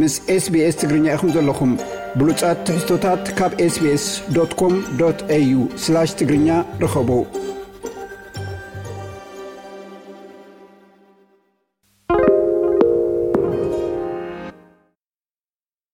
ምስ SBS ትግርኛ ኢኹም ዘለኹም። ብሉጻት ትሕዝቶታት ካብ SBS.com.au/ትግርኛ ርኸቡ።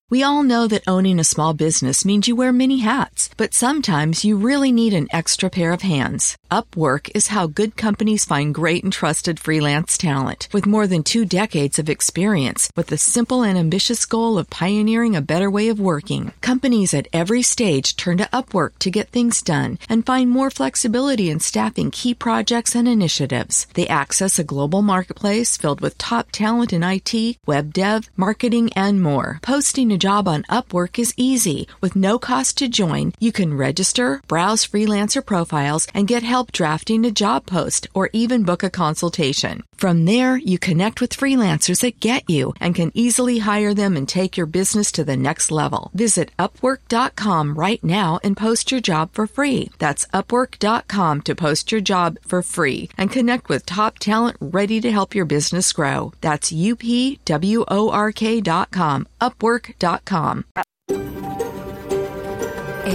We all know that owning a small business means you wear many hats, but sometimes you really need an extra pair of hands. Upwork is how good companies find great and trusted freelance talent. With more than two decades of experience, with the simple and ambitious goal of pioneering a better way of working, companies at every stage turn to Upwork to get things done and find more flexibility in staffing key projects and initiatives. They access a global marketplace filled with top talent in I T, web dev, marketing, and more. Posting a job on Upwork is easy. With no cost to join, you can register, browse freelancer profiles, and get help drafting a job post or even book a consultation. From there, you connect with freelancers that get you and can easily hire them and take your business to the next level. Visit upwork dot com right now and post your job for free. That's upwork dot com to post your job for free and connect with top talent ready to help your business grow. That's U P W O R K dot com, upwork dot com.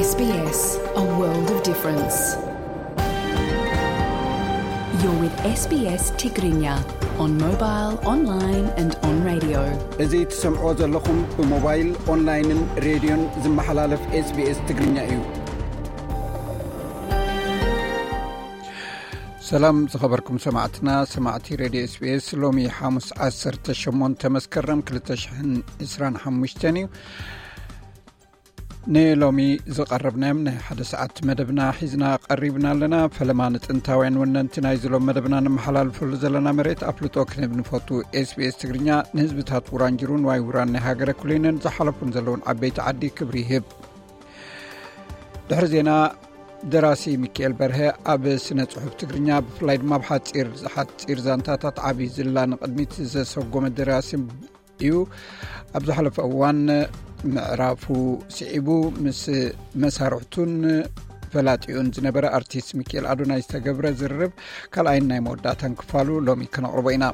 S B S, a world of difference. You're with S B S Tigrinya on mobile, online and on radio. እዚ ትሰምዕዎ ዘለኹም ብሞባይል፣ ኦንላይንን ሬድዮን ዝመሓላለፍ SBS ትግርኛ እዩ። ሰላም ዝኸበርኩም ሰማዕትና፣ ሰማዕቲ ሬድዮ SBS። ሎሚ ሓሙስ ዓሰርተ ሸሞንተ መስከረም ክልተ ሽሕን ዕስራን ሓሙሽተን እዩ። ንሎሚ ዝቐረብናዮም ናይ ሓደ ሰዓት መደብና ሒዝና ቀሪብና ኣለና። ፈለማ ንጥንታውያን ወነንቲ ናይዚ ሎም መደብና ንመሓላልፈሉ ዘለና መሬት ኣፍልጦ ክንህብ ንፈቱ። SBS ትግርኛ ንህዝብታት ውራንጅሩን ዋይ ውራን ናይ ሃገረ ኩሊንን ዝሓለፉን ዘለውን ዓበይቲ ዓዲ ክብሪ ይህብ። ድሕሪ ዜና፣ ደራሲ ሚካኤል በርሀ ኣብ ስነ ጽሑፍ ትግርኛ፣ ብፍላይ ድማ ኣብ ሓጺር፣ ሓጺር ዛንታታት ዓቢ ዝላ ንቕድሚት ዘሰጎመ ደራሲ እዩ። ኣብ ዝሓለፈ እዋን ምዕራፉ ስዒቡ ምስ መሳርሕቱን ፈላጢኡን ዝነበረ ኣርቲስት ሚካኤል ኣዶናይ ዝተገብረ ዝርርብ ካልኣይን ናይ መወዳእታን ክፋሉ ሎሚ ከነቕርቦ ኢና።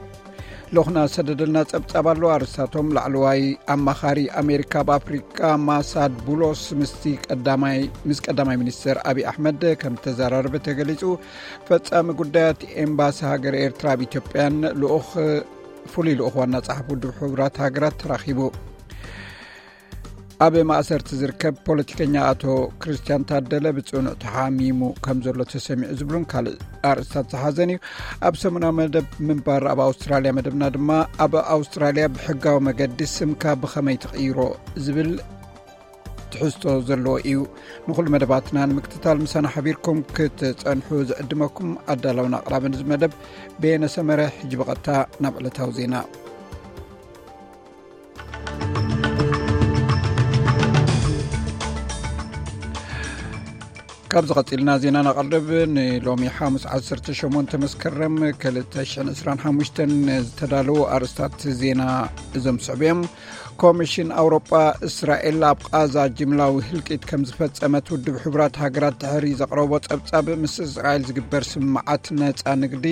ልኡኽና ዝሰደደልና ጸብጻብ ኣሎ። ኣርእስታቶም፣ ላዕለዋይ ኣማኻሪ ኣሜሪካ ኣብ ኣፍሪቃ ማሳድ ቡሎስ ምስቲ ቀዳማይ፣ ምስ ቀዳማይ ሚኒስትር ኣብይ ኣሕመድ ከም ተዘራረበ ተገሊጹ። ፈጻሚ ጉዳያት ኤምባሲ ሃገር ኤርትራ ኣብ ኢትዮጵያን ልኡኽ፣ ፍሉይ ልኡኽ ዋና ጸሓፊ ውድብ ሕቡራት ሃገራት ተራኺቡ። ኣብ ማእሰርቲ ዝርከብ ፖለቲከኛ ኣቶ ክርስቲያን ታደለ ብጽኑዕ ተሓሚሙ ከም ዘሎ ተሰሚዑ ዝብሉን ካልእ ኣርእስታት ዝሓዘን እዩ። ኣብ ሰሙናዊ መደብ ምንባር ኣብ ኣውስትራልያ መደብና ድማ፣ ኣብ ኣውስትራልያ ብሕጋዊ መገዲ ስምካ ብኸመይ ትቕይሮ ዝብል ትሕዝቶ ዘለዎ እዩ። ንኹሉ መደባትና ንምክትታል ምሳና ሓቢርኩም ክትጸንሑ ዝዕድመኩም ኣዳላውን ኣቕራብን እዚ መደብ በየነ ሰመረ። ሕጂ ብቐጥታ ናብ ዕለታዊ ዜና። ካብዚ ቀጺልና ዜና ነቕርብ። ንሎሚ ሓሙስ ዓሰርተ ሸሞንተ መስከረም ክልተ ሽሕን ዕስራን ሓሙሽተን ዝተዳለዉ ኣርእስታት ዜና እዞም ዝስዕቡ እዮም። ኮሚሽን ኣውሮጳ፣ እስራኤል ኣብ ቓዛ ጅምላዊ ህልቂት ከም ዝፈጸመት ውድብ ሕቡራት ሃገራት ድሕሪ ዘቕረቦ ጸብጻብ፣ ምስ እስራኤል ዝግበር ስምምዓት ነጻ ንግዲ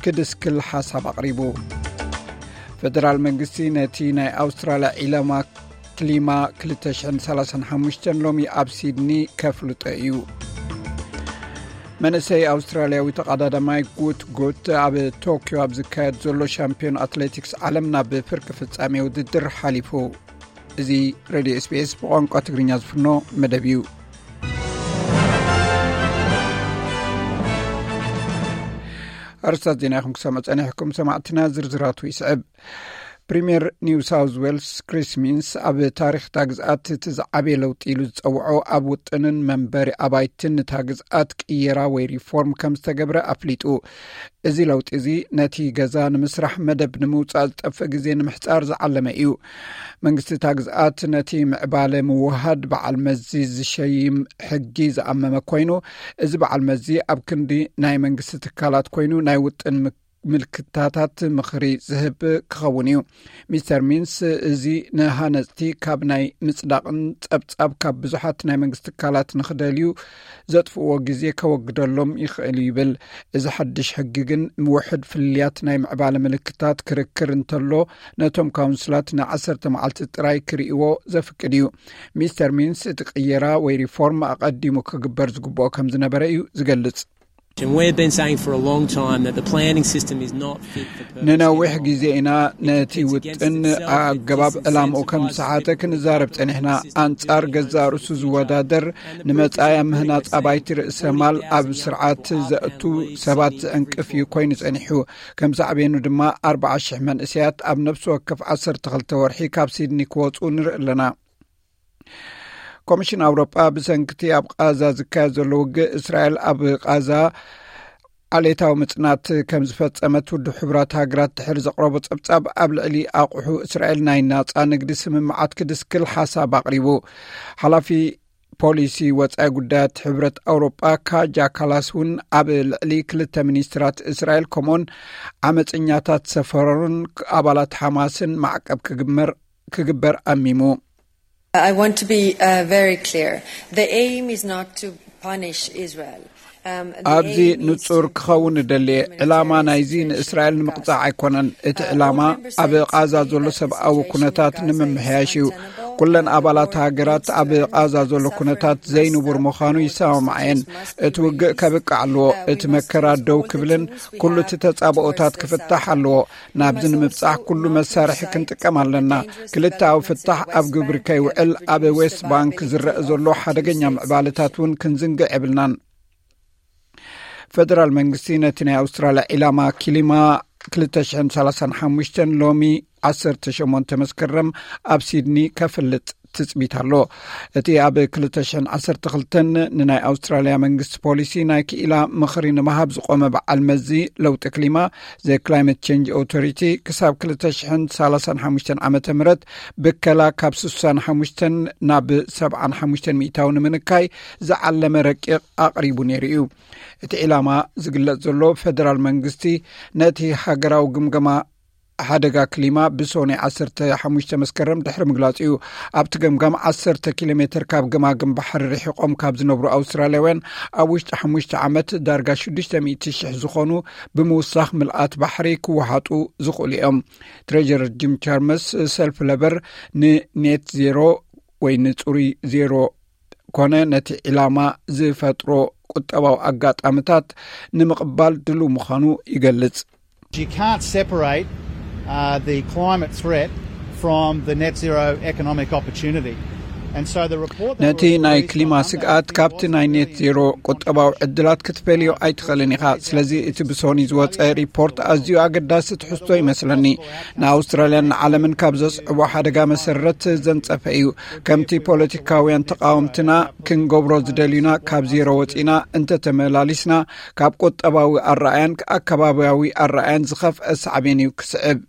ክድስክል ሓሳብ ኣቕሪቡ። ፈደራል መንግስቲ ነቲ ናይ ኣውስትራልያ ዒላማ ክሊማ ክልተ ሽሕን ሰላሳን ሓሙሽተን ሎሚ ኣብ ሲድኒ ከፍልጦ እዩ። መንእሰይ ኣውስትራልያዊ ተቐዳዳማይ ጉት ጉት ኣብ ቶክዮ ኣብ ዝካየድ ዘሎ ሻምፒዮን ኣትሌቲክስ ዓለም ናብ ፍርቂ ፍጻሜ ውድድር ሓሊፉ። እዚ ሬድዮ SBS ብቋንቋ ትግርኛ ዝፍኖ መደብ እዩ። ኣርእስታት ዜና ኢኹም ክሰምዑ ጸኒሕኩም ሰማዕትና፣ ዝርዝራቱ ይስዕብ። ፕሪምየር ኒው ሳውዝ ዌልስ ክሪስ ሚንስ ኣብ ታሪኽ እታ ግዝኣት እቲ ዝዓበየ ለውጢ ኢሉ ዝጸውዖ ኣብ ውጥንን መንበሪ ኣባይትን እታ ግዝኣት ቅየራ ወይ ሪፎርም ከም ዝተገብረ ኣፍሊጡ። እዚ ለውጢ እዚ ነቲ ገዛ ንምስራሕ መደብ ንምውጻእ ዝጠፍእ ግዜ ንምሕጻር ዝዓለመ እዩ። መንግስቲ እታ ግዝኣት ነቲ ምዕባለ ምውሃድ በዓል መዚ ዝሸይም ሕጊ ዝኣመመ ኮይኑ፣ እዚ በዓል መዚ ኣብ ክንዲ ናይ መንግስቲ ትካላት ኮይኑ ናይ ውጥን ምልክታታት ምኽሪ ዝህብ ክኸውን እዩ። ሚስተር ሚንስ፣ እዚ ንሃነፅቲ ካብ ናይ ምፅዳቕን ፀብፃብ ካብ ብዙሓት ናይ መንግስቲ ትካላት ንኽደልዩ ዘጥፍእዎ ግዜ ከወግደሎም ይኽእል እዩ ይብል። እዚ ሓድሽ ሕጊ ግን ውሕድ ፍልልያት ናይ ምዕባለ ምልክታት ክርክር እንተሎ፣ ነቶም ካውንስላት ንዓሰርተ መዓልቲ ጥራይ ክርእይዎ ዘፍቅድ እዩ። ሚስተር ሚንስ፣ እቲ ቅየራ ወይ ሪፎርም ኣቐዲሙ ክግበር ዝግብኦ ከም ዝነበረ እዩ ዝገልጽ። And we've been saying for a long time that the planning system is not fit for purpose. ንነዊሕ ግዜ ኢና ነቲ ውጥን ኣገባብ ዕላምኡ ከም ዝሰሓተ ክንዛረብ ጸኒሕና። ኣንጻር ገዛእ ርእሱ ዝወዳደር፣ ንመጻኢ ኣብ ምህናጽ ኣባይቲ ርእሰ ማል ኣብ ስርዓት ዘእቱ ሰባት ዝዕንቅፍ እዩ ኮይኑ ጸኒሑ። ከም ሳዕቤኑ ድማ ኣርባዓ ሽሕ መንእሰያት ኣብ ነፍሲ ወከፍ ዓሰርተ ክልተ ወርሒ ካብ ሲድኒ ክወጹ ንርኢ ኣለና። ኮሚሽን ኣውሮጳ ብሰንክቲ ኣብ ቃዛ ዝካየድ ዘሎ ውግእ፣ እስራኤል ኣብ ቃዛ ዓሌታዊ ምጽናት ከም ዝፈጸመት ውድብ ሕቡራት ሃገራት ድሕሪ ዘቕረቦ ጸብጻብ፣ ኣብ ልዕሊ ኣቑሑ እስራኤል ናይ ናጻ ንግዲ ስምምዓት ክድስክል ሓሳብ ኣቕሪቡ። ሓላፊ ፖሊሲ ወጻኢ ጉዳያት ሕብረት ኣውሮጳ ካጃ ካላስ እውን ኣብ ልዕሊ ክልተ ሚኒስትራት እስራኤል ከምኡን ዓመፀኛታት ሰፈሮን ኣባላት ሓማስን ማዕቀብ ክግመር ክግበር ኣሚሙ። I want to be uh, very clear. The aim is not to punish Israel. Um, the ኣብዚ aim is ንጹር to ክኸውን improve እደሊ። ዕላማ humanitarian ናይዚ situation ንእስራኤል in ንምቕጻዕ Gaza. ኣይኮነን። እቲ Uh, all ዕላማ member ኣብ states ቃዛ agree ዘሎ that the ሰብኣዊ situation in ኩነታት Gaza is ንምምሕያሽ እዩ። untenable. ኩለን Uh, the ኣባላት war ሃገራት includes ኣብ Israel. ቃዛ ዘሎ Suffering ኩነታት must ዘይንቡር stop. ምዃኑ ይሰማማዓ እየን። Hostages must be እቲ ውግእ released. ከብቅዕ ኣለዎ። Uh, we እቲ must መከራ use ደው all the ክብልን tools we ኩሉ have እቲ ተጻብኦታት towards the ክፍታሕ South. ኣለዎ። We ናብዚ must ንምብጻሕ also ኩሉ not መሳርሒ lose sight ክንጥቀም ኣለና። of the dangerous ክልተኣዊ developments in ፍታሕ the ኣብ West ግብሪ Bank ከይውዕል that ኣብ reduce ዌስት the ባንክ viability ዝረአ of ዘሎ ሓደገኛ two-state ምዕባለታት እውን solutions. ክንዝንግዕ የብልናን። ፌደራል መንግስቲ ነቲ ናይ ኣውስትራልያ ዒላማ ክሊማ ክልተ ሽሕን ሰላሳን ሓሙሽተን ሎሚ ዓሰርተ ሸሞንተ መስከረም ኣብ ሲድኒ ከፍልጥ ትጽቢት ኣሎ። እቲ ኣብ ክልተ ሽሕን ዓሰርተ ክልተን ንናይ ኣውስትራልያ መንግስቲ ፖሊሲ ናይ ክኢላ ምኽሪ ንምሃብ ዝቖመ በዓል መዚ ለውጢ ክሊማ፣ ዘ ክላይመት ቸንጅ ኦቶሪቲ፣ ክሳብ ክልተ ሽሕን ሰላሳን ሓሙሽተን ዓመተ ምህረት ብከላ ካብ ስሳን ሓሙሽተን ናብ ሰብዓን ሓሙሽተን ሚእታዊ ንምንካይ ዝዓለመ ረቂቕ ኣቕሪቡ ነይሩ እዩ። እቲ ዒላማ ዝግለጽ ዘሎ፣ ፌደራል መንግስቲ ነቲ ሃገራዊ ግምገማ ሓደጋ ክሊማ ብሶኒ ዓሰርተ ሓሙሽተ መስከረም ድሕሪ ምግላጹ እዩ። ኣብቲ ገምጋም፣ ዓሰርተ ኪሎ ሜትር ካብ ገማግም ባሕሪ ርሒቖም ካብ ዝነብሩ ኣውስትራልያውያን ኣብ ውሽጢ ሓሙሽተ ዓመት ዳርጋ ሽዱሽተ ሚእቲ ሽሕ ዝኾኑ ብምውሳኽ ምልኣት ባሕሪ ክወሓጡ ዝኽእሉ እዮም። ትሬጀረር ጂም ቻርመስ፣ ሰልፊ ለበር ንኔት ዜሮ ወይ ንጽሩይ ዜሮ ኮነ ነቲ ዒላማ ዝፈጥሮ ቁጠባዊ ኣጋጣሚታት ንምቕባል ድሉው ምዃኑ ይገልጽ። You can't separate uh, the climate threat from the net zero economic opportunity. And so the report that ነቲ was ናይ released on ክሊማ Monday, ስግኣት it ካብቲ wasn't ናይ really ኔት ዜሮ ቁጠባዊ ዕድላት ክትፈልዮ ኣይትኽእልን ኢኻ። ስለዚ እቲ ብሶኒ ዝወጸ ሪፖርት ኣዝዩ ኣገዳሲ ትሕዝቶ ይመስለኒ። ንኣውስትራልያን ንዓለምን ካብ ዘስዕቦ ሓደጋ መሰረት ዘንጸፈ እዩ። ከምቲ ፖለቲካውያን ተቃወምትና ክንገብሮ ዝደልዩና፣ ካብ ዜሮ ወጺና እንተተመላሊስና፣ ካብ ቁጠባዊ ኣረኣያን ኣከባቢያዊ ኣረኣያን ዝኸፍአ ሳዕቤን እዩ ክስዕብ።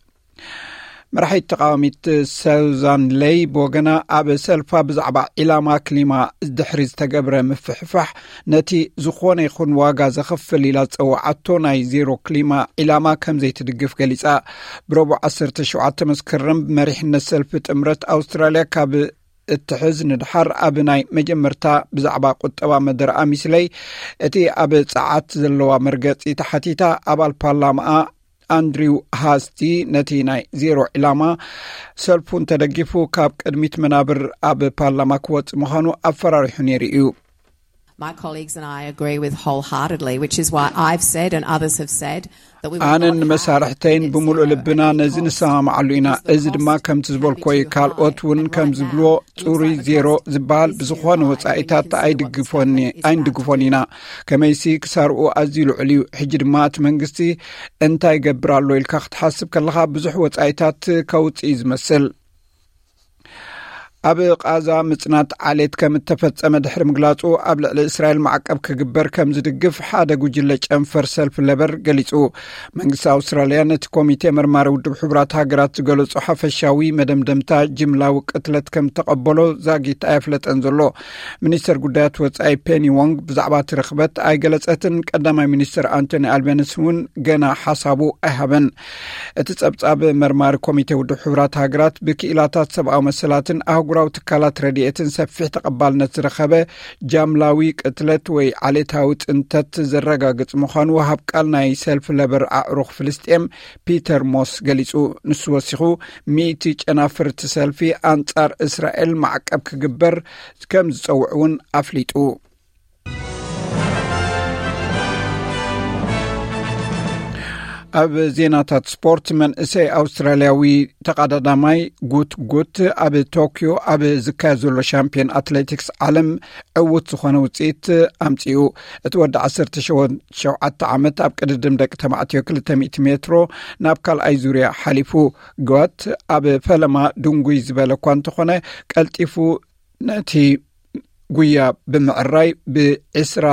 መራሒት ተቃዋሚት ሰውዛን ለይ ብወገና፣ ኣብ ሰልፋ ብዛዕባ ዒላማ ክሊማ ድሕሪ ዝተገብረ ምፍሕፋሕ፣ ነቲ ዝኾነ ይኹን ዋጋ ዘኸፍል ኢላ ዝጸውዓቶ ናይ ዜሮ ክሊማ ዒላማ ከም ዘይትድግፍ ገሊጻ። ብረቡዕ ዓሰርተ ሸውዓተ መስከረም ብመሪሕነት ሰልፊ ጥምረት ኣውስትራልያ ካብ እትሕዝ ንድሓር፣ ኣብ ናይ መጀመርታ ብዛዕባ ቁጠባ መደረኣ ሚስለይ፣ እቲ ኣብ ጸዓት ዘለዋ መርገጺ ተሓቲታ፣ ኣባል ፓርላማኣ ኣንድሪው ሃስቲ ነቲ ናይ ዜሮ ዒላማ ሰልፉ እንተደጊፉ፣ ካብ ቅድሚት መናብር ኣብ ፓርላማ ክወጽእ ምዃኑ ኣፈራሪሑ ነይሩ እዩ። My colleagues and I agree with wholeheartedly, which is why I've said and others have said that we will ኣነን not have መሳርሕተይን net ብምሉእ zero ልብና at any ነዚ cost, ንሰማማዓሉ ኢና። because the እዚ ድማ cost ከምቲ can be ዝበልኮዩ፣ too high. ካልኦት እውን And ከም right ዝብልዎ፣ now, it looks ጽሩይ like the ዜሮ cost ዝበሃል is too ብዝኾነ high, and we ወጻኢታት can see why we ኣይድግፎን can't ኣይንድግፎን ኢና። ከመይሲ ክሳርኡ ኣዝዩ ልዑል እዩ። ሕጂ ድማ እቲ መንግስቲ እንታይ ይገብር ኣሎ ኢልካ ክትሓስብ ከለኻ፣ ብዙሕ ወጻኢታት ከውጽእ እዩ ዝመስል። ኣብ ቃዛ ምጽናት ዓሌት ከም እተፈጸመ ድሕሪ ምግላጹ፣ ኣብ ልዕሊ እስራኤል ማዕቀብ ክግበር ከም ዝድግፍ ሓደ ጉጅለ ጨንፈር ሰልፊ ለበር ገሊጹ። መንግስቲ ኣውስትራልያ ነቲ ኮሚቴ መርማሪ ውድብ ሕቡራት ሃገራት ዝገለጾ ሓፈሻዊ መደምደምታ ጅምላዊ ቅትለት ከም ተቐበሎ ዛጊት ኣየፍለጠን ዘሎ። ሚኒስተር ጉዳያት ወጻኢ ፔኒ ዎንግ ብዛዕባ እቲ ርኽበት ኣይገለጸትን። ቀዳማይ ሚኒስተር ኣንቶኒ ኣልበንስ እውን ገና ሓሳቡ ኣይሃበን። እቲ ጸብጻብ መርማሪ ኮሚቴ ውድብ ሕቡራት ሃገራት ብክኢላታት ሰብኣዊ መሰላትን ኣህጉራዊ ትካላት ረድኤትን ሰፊሕ ተቐባልነት ዝረኸበ ጃምላዊ ቅትለት ወይ ዓሌታዊ ጽንተት ዘረጋግጽ ምዃኑ ወሃብ ቃል ናይ ሰልፊ ለበር ኣዕሩኽ ፍልስጤም ፒተር ሞስ ገሊጹ። ንሱ ወሲኹ፣ ሚእቲ ጨናፍርቲ ሰልፊ ኣንጻር እስራኤል ማዕቀብ ክግበር ከም ዝጸውዕ እውን ኣፍሊጡ። ኣብ ዜናታት ስፖርት፣ መንእሰይ ኣውስትራልያዊ ተቐዳዳማይ ጉት ጉት ኣብ ቶክዮ ኣብ ዝካየድ ዘሎ ሻምፒዮን ኣትሌቲክስ ዓለም ዕዉት ዝኾነ ውፅኢት ኣምፂኡ። እቲ ወዲ ዓሰርተ ሸውዓተ ዓመት ኣብ ቅድድም ደቂ ተባዕትዮ ክልተ ሚእቲ ሜትሮ ናብ ካልኣይ ዙርያ ሓሊፉ። ጉት ኣብ ፈለማ ድንጉይ ዝበለ እኳ እንተኾነ፣ ቀልጢፉ ነቲ ጉያ ብምዕራይ ብዕስራ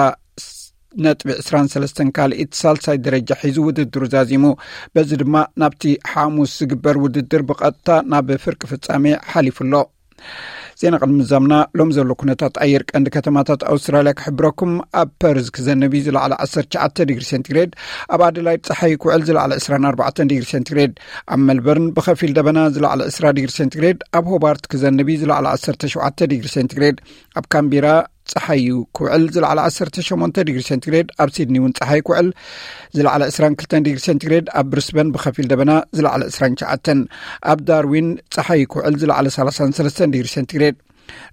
ነጥቢ ዕስራን ሰለስተን ካልኢት ሳልሳይ ደረጃ ሒዙ ውድድሩ ዛዚሙ። በዚ ድማ ናብቲ ሓሙስ ዝግበር ውድድር ብቐጥታ ናብ ፍርቂ ፍጻሜ ሓሊፉ ኣሎ። ዜና ቅድሚ ምዛምና ሎም ዘሎ ኩነታት ኣየር ቀንዲ ከተማታት ኣውስትራልያ ክሕብረኩም። ኣብ ፐርዝ ክዘንብ እዩ፣ ዝለዓለ ዓሰርተ ትሽዓተ ዲግሪ ሴንቲግሬድ። ኣብ ኣደላይድ ጸሓይ ክውዕል፣ ዝለዓለ ዕስራን ኣርባዕተን ዲግሪ ሴንቲግሬድ። ኣብ መልበርን ብኸፊል ደበና፣ ዝለዓለ ዕስራ ዲግሪ ሴንቲግሬድ። ኣብ ሆባርት ክዘንብ እዩ፣ ዝለዓለ ዓሰርተ ሸውዓተ ዲግሪ ሴንቲግሬድ። ኣብ ካምቢራ ጸሓይ እዩ ክውዕል፣ ዝለዓለ ዓሰርተ ሸሞንተ ዲግሪ ሴንቲግሬድ። ኣብ ሲድኒ እውን ጸሓይ ክውዕል፣ ዝለዓለ ዕስራን ክልተን ዲግሪ ሴንቲግሬድ። ኣብ ብሪስበን ብኸፊል ደበና፣ ዝለዓለ ዕስራን ትሽዓተን። ኣብ ዳርዊን ጸሓይ ክውዕል፣ ዝለዓለ ሰላሳን ሰለስተን ዲግሪ ሴንቲግሬድ።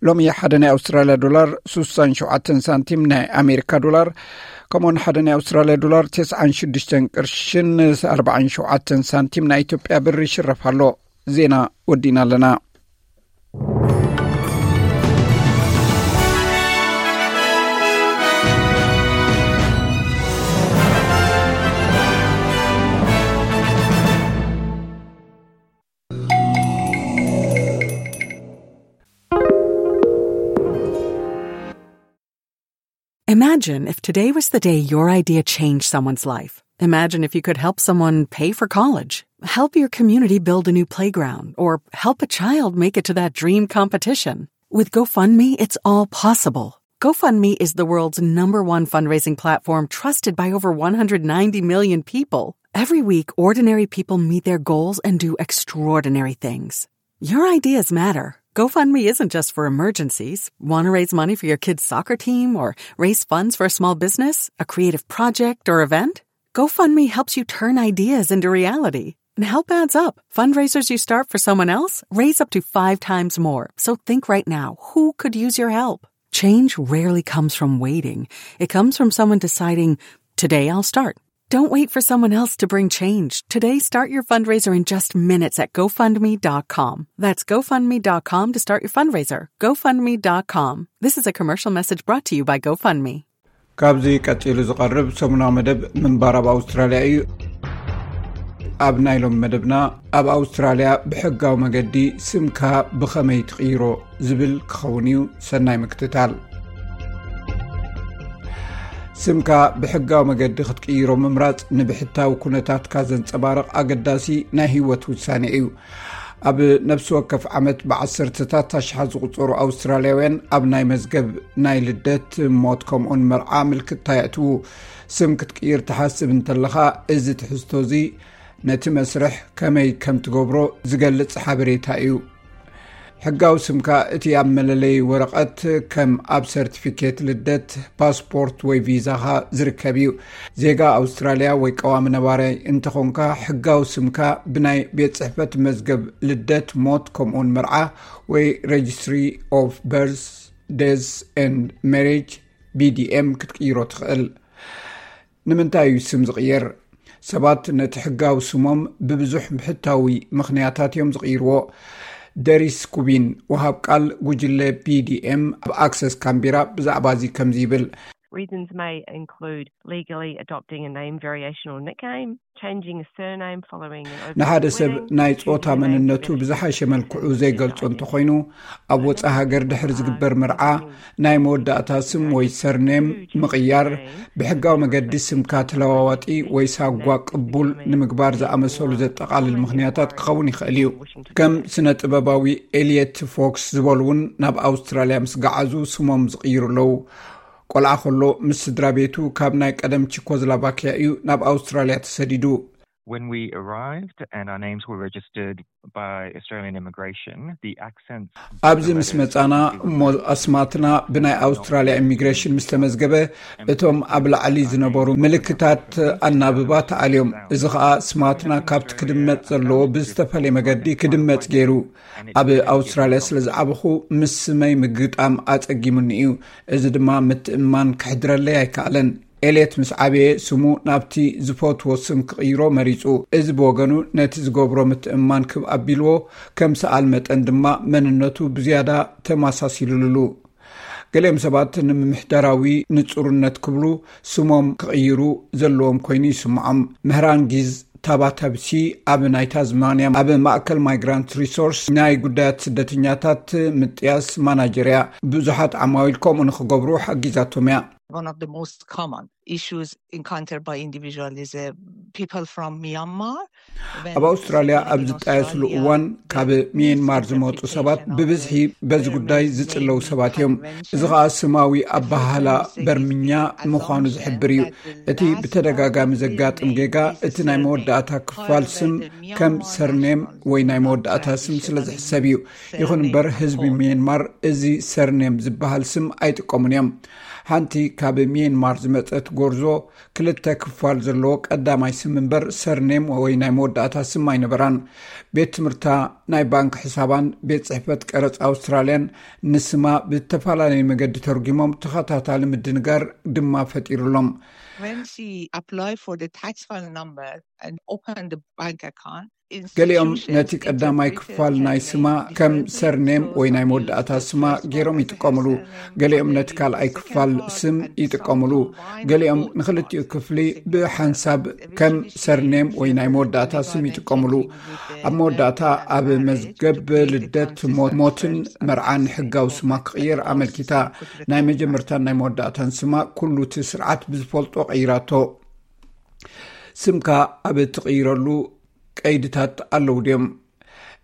ሎሚ ሓደ ናይ ኣውስትራልያ ዶላር ስሳን ሸውዓተን ሳንቲም፣ ናይ ኣሜሪካ ዶላር ከምኡውን ሓደ ናይ ኣውስትራልያ ዶላር ተስዓን ሽዱሽተን ቅርሽን ኣርባዓን ሸውዓተን ሳንቲም ናይ ኢትዮጵያ ብር ይሽረፍ ኣሎ። ዜና ወዲእና ኣለና። Imagine if today was the day your idea changed someone's life. Imagine if you could help someone pay for college, help your community build a new playground, or help a child make it to that dream competition. With GoFundMe, it's all possible. GoFundMe is the world's number one fundraising platform, trusted by over one hundred ninety million people. Every week, ordinary people meet their goals and do extraordinary things. Your ideas matter. GoFundMe isn't just for emergencies. Want to raise money for your kid's soccer team or raise funds for a small business, a creative project, or event? GoFundMe helps you turn ideas into reality. And help adds up. Fundraisers you start for someone else raise up to five times more. So think right now, who could use your help? Change rarely comes from waiting. It comes from someone deciding, "Today I'll start." Don't wait for someone else to bring change. Today, start your fundraiser in just minutes at GoFundMe dot com. That's GoFundMe dot com to start your fundraiser. GoFundMe dot com. This is a commercial message brought to you by GoFundMe. ካብዚ ቀጺሉ ዝቐርብ ሰሙናዊ መደብ ምንባር ኣብ ኣውስትራልያ እዩ። ኣብ ናይ ሎም መደብና፣ ኣብ ኣውስትራልያ ብሕጋዊ መገዲ ስምካ ብኸመይ ትቕይሮ ዝብል ክኸውን እዩ። ሰናይ ምክትታል። ስምካ ብሕጋዊ መገዲ ክትቅይሮ ምምራጽ ንብሕታዊ ኩነታትካ ዘንጸባርቕ ኣገዳሲ ናይ ህይወት ውሳኔ እዩ። ኣብ ነፍሲ ወከፍ ዓመት ብዓሰርተታት ኣሽሓት ዝቑጸሩ ኣውስትራልያውያን ኣብ ናይ መዝገብ ናይ ልደት፣ ሞት፣ ከምኡን መርዓ ምልክታ የእትዉ። ስም ክትቅይር ትሓስብ እንተለኻ፣ እዚ ትሕዝቶ እዚ ነቲ መስርሕ ከመይ ከም ትገብሮ ዝገልጽ ሓበሬታ እዩ። ሕጋዊ ስምካ እቲ ኣብ መለለይ ወረቐት፣ ከም ኣብ ሰርቲፊኬት ልደት፣ ፓስፖርት ወይ ቪዛኻ ዝርከብ እዩ። ዜጋ ኣውስትራልያ ወይ ቀዋሚ ነባራይ እንተኾንካ፣ ሕጋዊ ስምካ ብናይ ቤት ጽሕፈት መዝገብ ልደት፣ ሞት፣ ከምኡውን መርዓ ወይ Registry of Birth, Death and Marriage, B D M፣ ክትቅይሮ ትኽእል። ንምንታይ እዩ ስም ዝቕየር? ሰባት ነቲ ሕጋዊ ስሞም ብብዙሕ ብሕታዊ ምኽንያታት እዮም ዝቕይርዎ። ደሪስ ኩቢን፣ ወሃብ ቃል ጉጅለ ቢ ዲ ኤም ኣብ ኣክሰስ ካምቢራ፣ ብዛዕባ እዚ ከምዚ ይብል። Reasons may include legally adopting a name variation or nickname, changing a surname following an ንሓደ ሰብ ናይ ጾታ መንነቱ ብዝሓሸ መልክዑ ዘይገልጾ እንተኾይኑ፣ ኣብ ወጻኢ ሃገር ድሕሪ ዝግበር መርዓ ናይ መወዳእታ ስም ወይ ሰርኔም ምቕያር፣ ብሕጋዊ መገዲ ስምካ ተለዋዋጢ ወይ ሳጓ ቅቡል ንምግባር ዝኣመሰሉ ዘጠቓልል ምኽንያታት ክኸውን ይኽእል እዩ። ከም ስነ ጥበባዊ ኤልየት ፎክስ ዝበሉ እውን ናብ ኣውስትራልያ ምስ ገዓዙ ስሞም ዝቕይሩ ኣለዉ። ቆልዓ ከሎ ምስ ስድራ ቤቱ ካብ ናይ ቀደም ቺኮዝላቫኪያ እዩ ናብ ኣውስትራልያ ተሰዲዱ። When we arrived and our names were registered by Australian immigration, the accents ኣብዚ ምስ መጻና እሞ ኣስማትና ብናይ ኣውስትራልያ ኢሚግሬሽን ምስ ተመዝገበ፣ እቶም ኣብ ላዕሊ ዝነበሩ ምልክታት ኣናብባ ተኣልዮም። እዚ ኸኣ ስማትና ካብቲ ክድመጽ ዘለዎ ብዝተፈለየ መገዲ ክድመጽ ገይሩ። ኣብ ኣውስትራልያ ስለ ዝዓበኹ ምስ ስመይ ምግጣም ኣጸጊሙኒ እዩ። እዚ ድማ ምትእምማን ክሕድረለይ ኣይከኣለን። ኤልየት ምስ ዓበየ ስሙ ናብቲ ዝፈትዎ ስም ክቕይሮ መሪጹ። እዚ ብወገኑ ነቲ ዝገብሮ ምትእምማን ክብ ኣቢልዎ፣ ከም ሰኣል መጠን ድማ መንነቱ ብዝያዳ ተመሳሲሉሉ። ገሊኦም ሰባት ንምምሕዳራዊ ንጹርነት ክብሉ ስሞም ክቕይሩ ዘለዎም ኮይኑ ይስምዖም። ምህራንጊዝ ታባታብሲ ኣብ ናይ ታዝማንያ ኣብ ማእከል ማይግራንት ሪሶርስ ናይ ጉዳያት ስደተኛታት ምጥያስ ማናጀር እያ። ብዙሓት ዓማዊል ከምኡ ንኽገብሩ ሓጊዛቶም እያ። One of the most common issues encountered by individual is uh, people from Myanmar. ኣብ ኣውስትራልያ ኣብ ዝጣየስሉ እዋን ካብ ሚየንማር ዝመፁ ሰባት ብብዝሒ በዚ ጉዳይ ዝፅለው ሰባት እዮም። እዚ ከዓ ስማዊ ኣበሃህላ በርምኛ ምዃኑ ዝሕብር እዩ። እቲ ብተደጋጋሚ ዘጋጥም ጌጋ እቲ ናይ መወዳእታ ክፋል ስም ከም ሰርኔም ወይ ናይ መወዳእታ ስም ስለ ዝሕሰብ እዩ። ይኹን እምበር ህዝቢ ሚየንማር እዚ ሰርኔም ዝበሃል ስም ኣይጥቀሙን እዮም። ሓንቲ ካብ ሚየንማር ዝመፀት ጎርዞ ክልተ ክፋል ዘለዎ ቀዳማይ ስም እምበር ሰርኔም ወይ ናይ መወዳእታ ስም ኣይነበራን። ቤት ትምህርታ፣ ናይ ባንክ ሕሳባን ቤት ጽሕፈት ቀረጽ ኣውስትራልያን ንስማ ብተፈላለየ መገዲ ተርጉሞም ተኸታታሊ ምድንጋር ድማ ፈጢሩሎም። When she applied for the tax file number and opened the bank account, ገሊኦም ነቲ ቀዳማይ ክፋል ናይ ስማ ከም ሰርኔም ወይ ናይ መወዳእታ ስማ ገይሮም ይጥቀምሉ። ገሊኦም ነቲ ካልኣይ ክፋል ስም ይጥቀምሉ። ገሊኦም ንክልቲኡ ክፍሊ ብሓንሳብ ከም ሰርኔም ወይ ናይ መወዳእታ ስም ይጥቀምሉ። ኣብ መወዳእታ ኣብ መዝገብ ልደት፣ ሞትን መርዓን ሕጋዊ ስማ ክቕየር ኣመልኪታ። ናይ መጀመርታን ናይ መወዳእታን ስማ ኩሉ እቲ ስርዓት ብዝፈልጦ ቀይራቶ። ስምካ ኣብ እትቕይረሉ ቀይድታት ኣለዉ ድዮም?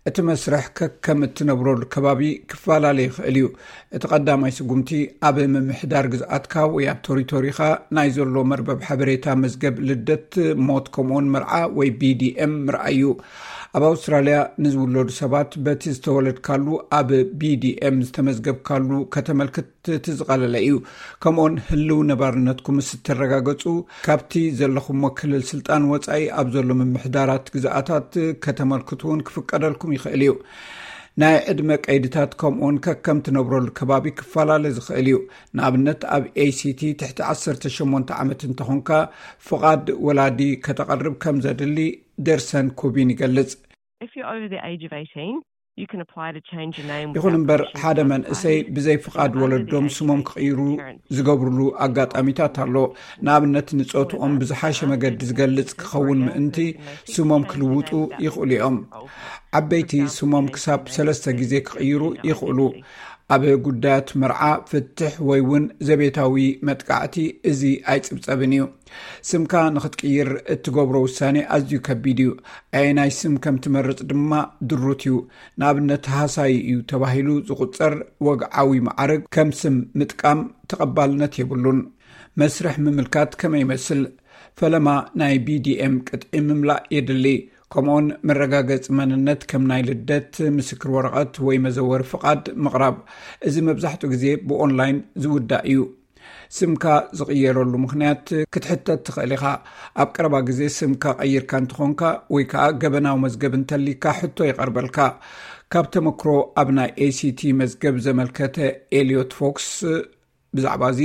እቲ መስርሕ ከከም እትነብረሉ ከባቢ ክፈላለ ይኽእል እዩ። እቲ ቀዳማይ ስጉምቲ ኣብ ምምሕዳር ግዝኣትካ ወይ ኣብ ቶሪቶሪኻ ናይ ዘሎ መርበብ ሓበሬታ መዝገብ ልደት፣ ሞት ከምኡውን መርዓ ወይ ቢዲኤም ምርኣይ እዩ። ኣብ ኣውስትራልያ ንዝውለዱ ሰባት በቲ ዝተወለድካሉ ኣብ ቢዲኤም ዝተመዝገብካሉ ከተመልክት እቲ ዝቐለለ እዩ። ከምኡውን ህልው ነባርነትኩም ምስ እተረጋገጹ፣ ካብቲ ዘለኹሞ ክልል ስልጣን ወጻኢ ኣብ ዘሎ ምምሕዳራት ግዝኣታት ከተመልክቱ እውን ክፍቀደልኩም ይኽእል እዩ። ናይ ዕድመ ቀይድታት ከምኡውን ከከም ትነብረሉ ከባቢ ክፈላለ ዝኽእል እዩ። ንኣብነት ኣብ ኤሲቲ ትሕቲ ዓሰርተ ሸሞንተ ዓመት እንተኾንካ ፍቓድ ወላዲ ከተቐርብ ከም ዘድሊ ደርሰን ኩቢን ይገልጽ። If you're over the age of eighteen, you can apply to change your name. ይኹን እምበር ሓደ መንእሰይ ብዘይ ፍቓድ ወለዶም ስሞም ክቕይሩ ዝገብርሉ ኣጋጣሚታት ኣሎ። ንኣብነት ንጾትኦም ብዝሓሸ መገዲ ዝገልጽ ክኸውን ምእንቲ ስሞም ክልውጡ ይኽእሉ እዮም። ዓበይቲ ስሞም ክሳብ ሰለስተ ግዜ ክቕይሩ ይኽእሉ። ኣብ ጉዳያት መርዓ፣ ፍትሕ ወይ እውን ዘቤታዊ መጥቃዕቲ እዚ ኣይጽብጸብን እዩ። ስምካ ንኽትቅይር እትገብሮ ውሳኔ ኣዝዩ ከቢድ እዩ። ኣየናይ ስም ከም ትመርጽ ድማ ድሩት እዩ። ንኣብነት ሃሳይ እዩ ተባሂሉ ዝቑጸር ወግዓዊ መዓርግ ከም ስም ምጥቃም ተቐባልነት የብሉን። መስርሕ ምምልካት ከመይ ይመስል? ፈለማ ናይ ቢዲኤም ቅጥዒ ምምላእ የድሊ። ከምኡውን መረጋገጺ መንነት ከም ናይ ልደት ምስክር ወረቐት ወይ መዘወሪ ፍቓድ ምቕራብ። እዚ መብዛሕትኡ ግዜ ብኦንላይን ዝውዳእ እዩ። ስምካ ዝቕየረሉ ምኽንያት ክትሕተት ትኽእል ኢኻ። ኣብ ቀረባ ግዜ ስምካ ቀይርካ እንተኾንካ ወይ ከዓ ገበናዊ መዝገብ እንተሊካ ሕቶ ይቐርበልካ። ካብ ተመክሮ ኣብ ናይ ኤሲቲ መዝገብ ዘመልከተ ኤልዮት ፎክስ ብዛዕባ እዚ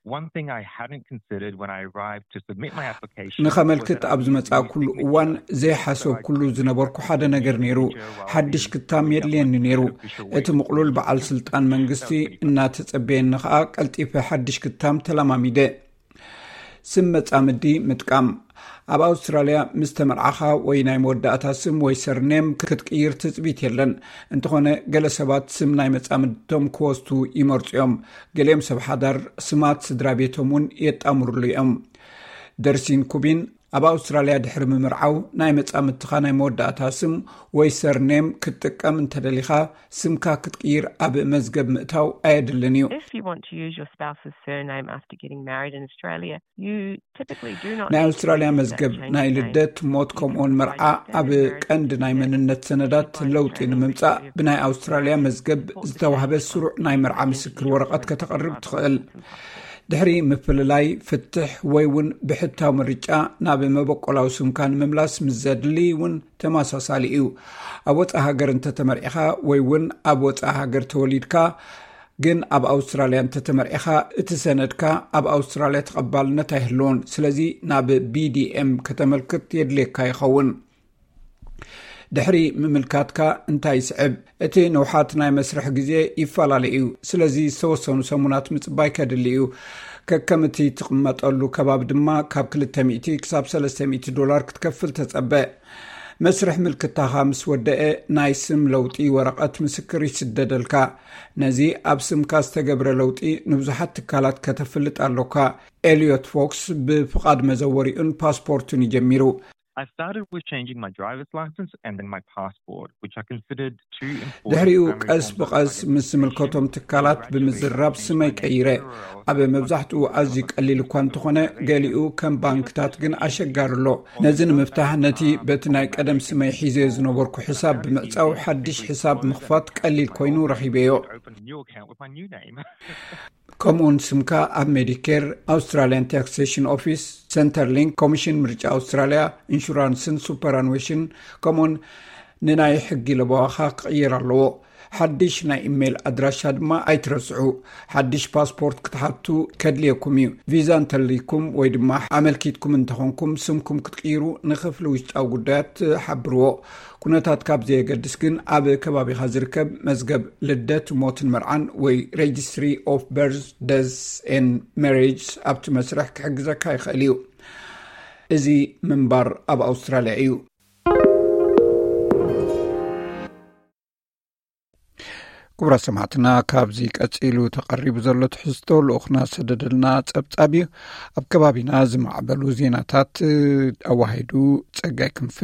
One thing I hadn't considered when I arrived to submit my application ንኸመልክት ኣብ ዝመጻእኩሉ እዋን ዘይሓሰብኩሉ ዝነበርኩ ሓደ ነገር ነይሩ። ሓድሽ ክታም የድልየኒ ነይሩ። እቲ ምቕሉል በዓል ስልጣን መንግስቲ እናተጸበየኒ ኸኣ ቀልጢፈ ሓድሽ ክታም ተለማሚደ። ስም መጻምዲ ምጥቃም። ኣብ ኣውስትራልያ ምስ ተመርዓኻ ወይ ናይ መወዳእታ ስም ወይ ሰርኔም ክትቅይር ትጽቢት የለን። እንተኾነ ገለ ሰባት ስም ናይ መጻምድቶም ክወስዱ ይመርጹ እዮም። ገሊኦም ሰብ ሓዳር ስማት ስድራ ቤቶም እውን የጣምሩሉ እዮም። ደርሲን ኩቢን ኣብ ኣውስትራልያ ድሕሪ ምምርዓው ናይ መጻምድትኻ ናይ መወዳእታ ስም ወይ ሰርኔም ክትጥቀም እንተደሊኻ ስምካ ክትቅይር ኣብ መዝገብ ምእታው ኣየድልን እዩ። If you want to use your spouse's surname after getting married in Australia, you typically do not ናይ need to ኣውስትራልያ register መዝገብ that change ናይ of name. ልደት፣ ሞት ከምኡውን መርዓ ኣብ ቀንዲ ናይ መንነት ሰነዳት ለውጢ ንምምጻእ ብናይ ኣውስትራልያ መዝገብ ዝተዋህበ ስሩዕ ናይ መርዓ ምስክር ወረቐት ከተቕርብ ትኽእል። ድሕሪ ምፍልላይ ፍትሕ ወይ እውን ብሕታዊ ምርጫ ናብ መበቆላዊ ስምካ ንምምላስ ምስ ዘድሊ እውን ተመሳሳሊ እዩ። ኣብ ወፃኢ ሃገር እንተተመርዒኻ ወይ እውን ኣብ ወፃኢ ሃገር ተወሊድካ ግን ኣብ ኣውስትራልያ እንተተመርዒኻ እቲ ሰነድካ ኣብ ኣውስትራልያ ተቐባልነት ኣይህልዎን። ስለዚ ናብ BDM ከተመልክት የድልየካ ይኸውን። ድሕሪ ምምልካትካ እንታይ ይስዕብ? እቲ ንውሓት ናይ መስርሕ ግዜ ይፈላለ እዩ። ስለዚ ዝተወሰኑ ሰሙናት ምጽባይ ከድሊ እዩ። ከከም እቲ ትቕመጠሉ ከባቢ ድማ ካብ ክልተ ሚእቲ ክሳብ ሰለስተ ሚእቲ ዶላር ክትከፍል ተጸበ። መስርሕ ምልክታኻ ምስ ወደአ ናይ ስም ለውጢ ወረቐት ምስክር ይስደደልካ። ነዚ ኣብ ስምካ ዝተገብረ ለውጢ ንብዙሓት ትካላት ከተፍልጥ ኣሎካ። ኤልዮት ፎክስ ብፍቓድ መዘወሪኡን ፓስፖርቱን እዩ ጀሚሩ። I started with changing my driver's license and then my passport, which I considered two important ድሕሪኡ ቀስ ብቐስ ምስ ዝምልከቶም ትካላት ብምዝራብ ስመይ ቀይረ። ኣብ መብዛሕትኡ ኣዝዩ ቀሊል እኳ እንተኾነ ገሊኡ ከም ባንክታት ግን ኣሸጋሪ ኣሎ። ነዚ ንምፍታሕ ነቲ በቲ ናይ ቀደም ስመይ ሒዘዮ ዝነበርኩ ሕሳብ ብምዕጻው ሓድሽ ሕሳብ ምኽፋት ቀሊል ኮይኑ ረኺበዮ። ከምኡውን ስምካ ኣብ ሜዲኬር፣ ኣውስትራልያን ታክሴሽን ኦፊስ፣ ሰንተርሊንክ፣ ኮሚሽን ምርጫ ኣውስትራልያ፣ ኢንሹራንስን ሱፐራንዌሽን ከምኡውን ንናይ ሕጊ ለበዋኻ ክቕየር ኣለዎ። ሓድሽ ናይ ኢሜይል ኣድራሻ ድማ ኣይትረስዑ። ሓድሽ ፓስፖርት ክትሓቱ ከድልየኩም እዩ። ቪዛ እንተልይኩም ወይ ድማ ኣመልኪትኩም እንተኾንኩም ስምኩም ክትቅይሩ ንክፍሊ ውሽጣዊ ጉዳያት ሓብርዎ። ኩነታት ካብ ዘየገድስ ግን ኣብ ከባቢኻ ዝርከብ መዝገብ ልደት፣ ሞትን መርዓን ወይ Registry of Birth, Death and Marriages ኣብቲ መስርሕ ክሕግዘካ ይኽእል እዩ። እዚ ምንባር ኣብ ኣውስትራልያ እዩ። ክቡራት ሰማዕትና፣ ካብዚ ቀጺሉ ተቐሪቡ ዘሎ ትሕዝቶ ልኡኽና ሰደደልና ጸብጻብ እዩ። ኣብ ከባቢና ዝማዕበሉ ዜናታት ኣዋሂዱ ጸጋይ ክንፈ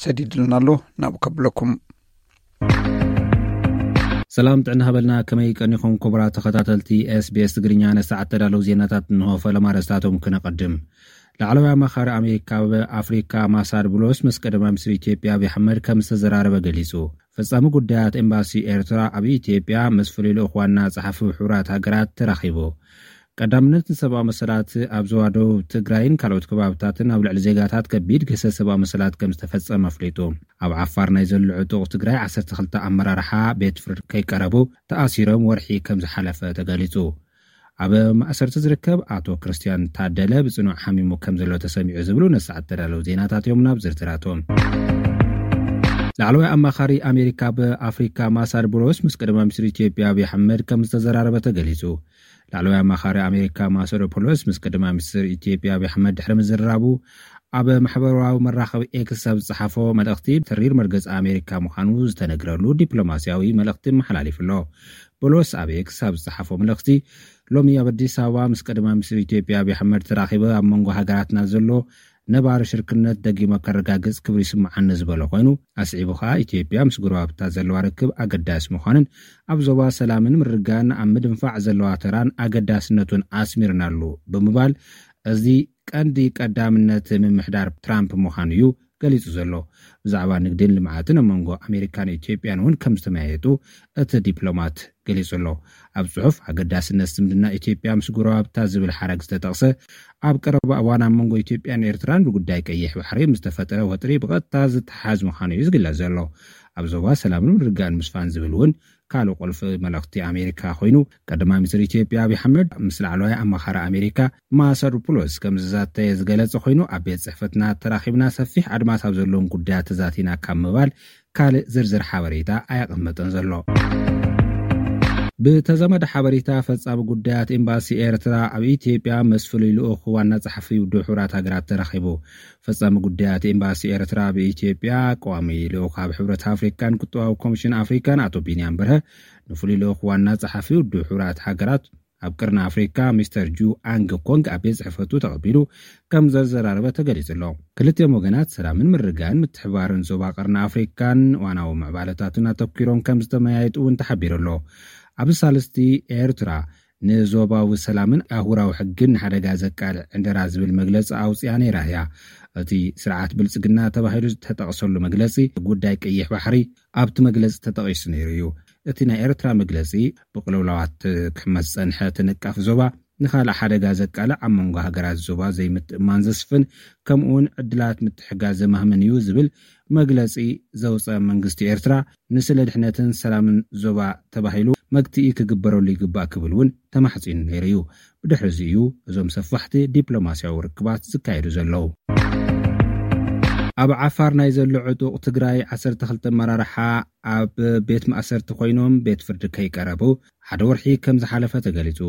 ሰዲድልና ኣሎ። ናብኡ ከብለኩም። ሰላም ጥዕና ሃበልና። ከመይ ቀኒኹም ክቡራት ተኸታተልቲ SBS ትግርኛ? ነሰዓት ተዳለዉ ዜናታት እንሆ። ፈለማ ኣርእስታቶም ክነቐድም። ላዕለዋይ ኣማኻሪ ኣሜሪካ ኣብ ኣፍሪካ ኣምባሳደር ቡሎስ ምስ ቀዳማይ ሚኒስትር ኢትዮጵያ ኣብይ ኣሕመድ ከም ዝተዘራረበ ገሊጹ። ፈጻሚ ጉዳያት ኤምባሲ ኤርትራ ኣብ ኢትዮጵያ ምስ ፍሉይ ልኡኽ ዋና ጸሓፊ ሕቡራት ሃገራት ተራኺቡ። ቀዳምነት ንሰብኣዊ መሰላት ኣብ ዞባ ደቡብ ትግራይን ካልኦት ከባብታትን ኣብ ልዕሊ ዜጋታት ከቢድ ግህሰት ሰብኣዊ መሰላት ከም ዝተፈጸመ ኣፍሊጡ። ኣብ ዓፋር ናይ ዘሎ ዕጡቕ ትግራይ ዓሰርተ ክልተ ኣመራርሓ ቤት ፍርድ ከይቀረቡ ተኣሲሮም ወርሒ ከም ዝሓለፈ ተገሊጹ። ኣብ ማእሰርቲ ዝርከብ ኣቶ ክርስትያን ታደለ ብጽኑዕ ሓሚሙ ከም ዘሎ ተሰሚዑ ዝብሉ ነሰዓት ተዳለዉ ዜናታት እዮም። ናብ ዝርዝራቶም። ላዕለዋይ ኣማኻሪ ኣሜሪካ ኣብ ኣፍሪካ ኣምባሳደር ቡሎስ ምስ ቀዳማይ ሚኒስትር ኢትዮጵያ ኣብይ ኣሕመድ ከም ዝተዘራረበ ተገሊጹ። ላዕለዋይ ኣማኻሪ ኣሜሪካ ኣምባሳደር ቡሎስ ምስ ቀዳማይ ሚኒስትር ኢትዮጵያ ኣብይ ኣሕመድ ድሕሪ ምዝርራቡ ኣብ ማሕበራዊ መራኸቢ ኤክስ ኣብ ዝጸሓፎ መልእኽቲ፣ ተሪር መርገጺ ኣሜሪካ ምዃኑ ዝተነግረሉ ዲፕሎማስያዊ መልእኽቲ መሓላሊፉ ኣሎ። ቡሎስ ኣብ ኤክስ ኣብ ዝጸሓፎ መልእኽቲ፣ ሎሚ ኣብ ኣዲስ ኣበባ ምስ ቀዳማይ ሚኒስትር ኢትዮጵያ ኣብይ ኣሕመድ ተራኺበ ኣብ መንጎ ሃገራትና ዘሎ ነባሪ ሽርክነት ደጊመ ከረጋግጽ ክብሪ ይስምዓኒ ዝበለ ኮይኑ፣ ኣስዒቡ ከኣ ኢትዮጵያ ምስ ጎረባብታ ዘለዋ ርክብ ኣገዳሲ ምዃኑን ኣብ ዞባ ሰላምን ምርግጋእን ኣብ ምድንፋዕ ዘለዋ ተራን ኣገዳስነቱን ኣስሚርናሉ ብምባል፣ እዚ ቀንዲ ቀዳምነት ምምሕዳር ትራምፕ ምዃኑ እዩ ገሊጹ ዘሎ። ብዛዕባ ንግድን ልምዓትን ኣብ መንጎ ኣሜሪካን ኢትዮጵያን እውን ከም ዝተመያየጡ እቲ ዲፕሎማት ገሊጹ ኣሎ። ኣብ ጽሑፍ፣ ኣገዳስነት ዝምድና ኢትዮጵያ ምስ ጎረባብታ ዝብል ሓረግ ዝተጠቕሰ፣ ኣብ ቀረባ እዋን ኣብ መንጎ ኢትዮጵያን ኤርትራን ብጉዳይ ቀይሕ ባሕሪ ምስ ተፈጠረ ወጥሪ ብቐጥታ ዝተሓዝ ምዃኑ እዩ ዝግለጽ ዘሎ። ኣብ ዞባ ሰላምን ምርግጋእን ምስፋን ዝብል እውን ካልእ ቁልፊ መልእኽቲ ኣሜሪካ ኮይኑ፣ ቀዳማይ ሚኒስትር ኢትዮጵያ ኣብይ ኣሕመድ ምስ ላዕለዋይ ኣማኻሪ ኣሜሪካ ማሳዱር ፑሎስ ከም ዝዛተየ ዝገለጸ ኮይኑ፣ ኣብ ቤት ጽሕፈትና ተራኺብና ሰፊሕ ኣድማስ ኣብ ዘለዎም ጉዳያት ተዛቲና ካብ ምባል ካልእ ዝርዝር ሓበሬታ ኣየቐመጠን ዘሎ። ብተዛማዲ ሓበሬታ፣ ፈጻሚ ጉዳያት ኤምባሲ ኤርትራ ኣብ ኢትዮጵያ ምስ ፍሉይ ልኡኽ ዋና ጸሓፊ ውድብ ሕቡራት ሃገራት ተራኺቡ። ፈጻሚ ጉዳያት ኤምባሲ ኤርትራ ኣብ ኢትዮጵያ፣ ቀዋሚ ልኡኽ ኣብ ሕብረት ኣፍሪካን ቁጠባዊ ኮሚሽን ኣፍሪካን ኣቶ ቢንያም በርሀ፣ ንፍሉይ ልኡኽ ዋና ጸሓፊ ውድብ ሕቡራት ሃገራት ኣብ ቅርኒ ኣፍሪካ ሚስተር ጁ ኣንግ ኮንግ ኣብ ቤት ጽሕፈቱ ተቐቢሉ ከም ዘዘራረበ ተገሊጹ ኣሎ። ክልቲኦም ወገናት ሰላምን ምርግጋእን ምትሕብባርን ዞባ ቅርኒ ኣፍሪካን ዋናዊ ምዕባለታትን ኣተኲሮም ከም ዝተመያየጡ እውን ተሓቢሩ ኣሎ። ኣብዚ ሳልስቲ፣ ኤርትራ ንዞባዊ ሰላምን ኣህጉራዊ ሕግን ንሓደጋ ዘቃልዕ ዕንደራ ዝብል መግለጺ ኣውጽኣ ነይራ እያ። እቲ ስርዓት ብልጽግና ተባሂሉ ዝተጠቕሰሉ መግለጺ፣ ጉዳይ ቀይሕ ባሕሪ ኣብቲ መግለጺ ተጠቒሱ ነይሩ እዩ። እቲ ናይ ኤርትራ መግለጺ፣ ብቅልውላዋት ክሕመስ ዝጸንሐ ተነቃፊ ዞባ፣ ንኻልእ ሓደጋ ዘቃልዕ፣ ኣብ መንጎ ሃገራት ዞባ ዘይምትእማን ዘስፍን፣ ከምኡውን ዕድላት ምትሕጋዝ ዘማህምን እዩ ዝብል መግለጺ ዘውጸ መንግስቲ ኤርትራ፣ ንስለ ድሕነትን ሰላምን ዞባ ተባሂሉ መግትኢ ክግበረሉ ይግባእ ክብል እውን ተማሕጺኑ ነይሩ እዩ። ብድሕሪ እዚ እዩ እዞም ሰፋሕቲ ዲፕሎማስያዊ ርክባት ዝካየዱ ዘለዉ። ኣብ ዓፋር ናይ ዘሎ ዕጡቕ ትግራይ ዓሰርተ ክልተ ኣመራርሓ ኣብ ቤት ማእሰርቲ ኮይኖም ቤት ፍርዲ ከይቀረቡ ሓደ ወርሒ ከም ዝሓለፈ ተገሊጹ።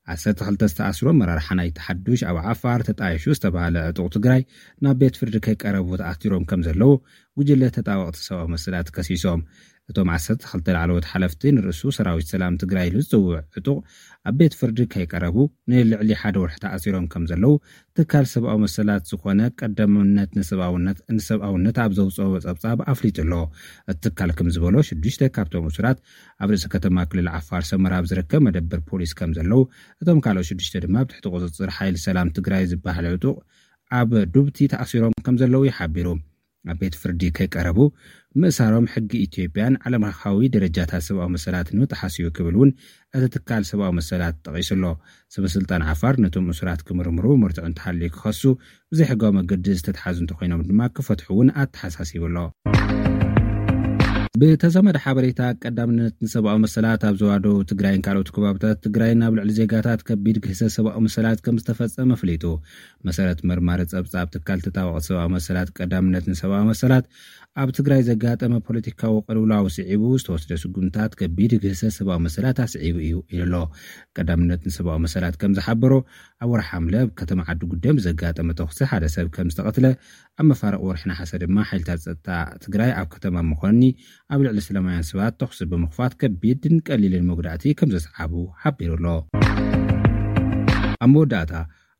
ዓሰርተ ክልተ ዝተኣስሩ ኣመራርሓ ናይቲ ሓዱሽ ኣብ ዓፋር ተጣይሹ ዝተባህለ ዕጡቕ ትግራይ ናብ ቤት ፍርዲ ከይቀረቡ ተኣሲሮም ከም ዘለዉ ጉጅለ ተጣበቕቲ ሰብኣዊ መሰላት ከሲሶም። እቶም ዓሰርተ ክልተ ላዕለዎት ሓለፍቲ ንርእሱ ሰራዊት ሰላም ትግራይ ኢሉ ዝጽውዕ ዕጡቕ ኣብ ቤት ፍርዲ ከይቀረቡ ንልዕሊ ሓደ ወርሒ ተኣሲሮም ከም ዘለዉ ትካል ሰብኣዊ መሰላት ዝኾነ ቀዳምነት ንሰብኣውነት፣ ንሰብኣውነት ኣብ ዘውፅኦ ጸብጻብ ኣፍሊጡ ኣሎ። እቲ ትካል ከም ዝበሎ ሽዱሽተ ካብቶም እሱራት ኣብ ርእሲ ከተማ ክልል ዓፋር ሰመራ ኣብ ዝርከብ መደበር ፖሊስ ከም ዘለዉ፣ እቶም ካልኦት ሽዱሽተ ድማ ኣብ ትሕቲ ቁፅፅር ሓይሊ ሰላም ትግራይ ዝበሃል ዕጡቕ ኣብ ዱብቲ ተኣሲሮም ከም ዘለዉ እዩ ሓቢሩ። ኣብ ቤት ፍርዲ ከይቀረቡ ምእሳሮም ሕጊ ኢትዮጵያን ዓለም ለኻዊ ደረጃታት ሰብኣዊ መሰላት ንምጥሓስ እዩ ክብል እውን እቲ ትካል ሰብኣዊ መሰላት ጠቒሱ ኣሎ። ሰበ ስልጣን ዓፋር ነቶም እሱራት ክምርምሩ፣ መርትዖ እንተሃልዩ ክኸሱ፣ ብዘይሕጋዊ መገዲ ዝተትሓዙ እንተኾይኖም ድማ ክፈትሑ እውን ኣተሓሳሲቡ ኣሎ። ብተዛማዲ ሓበሬታ፣ ቀዳምነት ንሰብኣዊ መሰላት ኣብ ዞባ ደቡብ ትግራይን ካልኦት ከባብታት ትግራይን ኣብ ልዕሊ ዜጋታት ከቢድ ግህሰት ሰብኣዊ መሰላት ከም ዝተፈጸመ ኣፍሊጡ። መሰረት መርማሪ ጸብጻብ ትካል ተጣበቕቲ ሰብኣዊ መሰላት ቀዳምነት ንሰብኣዊ መሰላት፣ ኣብ ትግራይ ዘጋጠመ ፖለቲካዊ ቅልውላው ስዒቡ ዝተወስደ ስጉምታት ከቢድ ግህሰት ሰብኣዊ መሰላት ኣስዒቡ እዩ ኢሉ ኣሎ። ቀዳምነት ንሰብኣዊ መሰላት ከም ዝሓበሮ፣ ኣብ ወርሒ ሓምለ ኣብ ከተማ ዓዲ ጉደም ብዘጋጠመ ተኹሲ ሓደ ሰብ ከም ዝተቐትለ፣ ኣብ መፋርቕ ወርሒ ነሓሰ ድማ ሓይልታት ጸጥታ ትግራይ ኣብ ከተማ መኾኒ ኣብ ልዕሊ ሰላማውያን ሰባት ተኹሲ ብምኽፋት ከቢድን ቀሊልን መጉዳእቲ ከም ዘስዓቡ ሓቢሩ ኣሎ። ኣብ መወዳእታ፣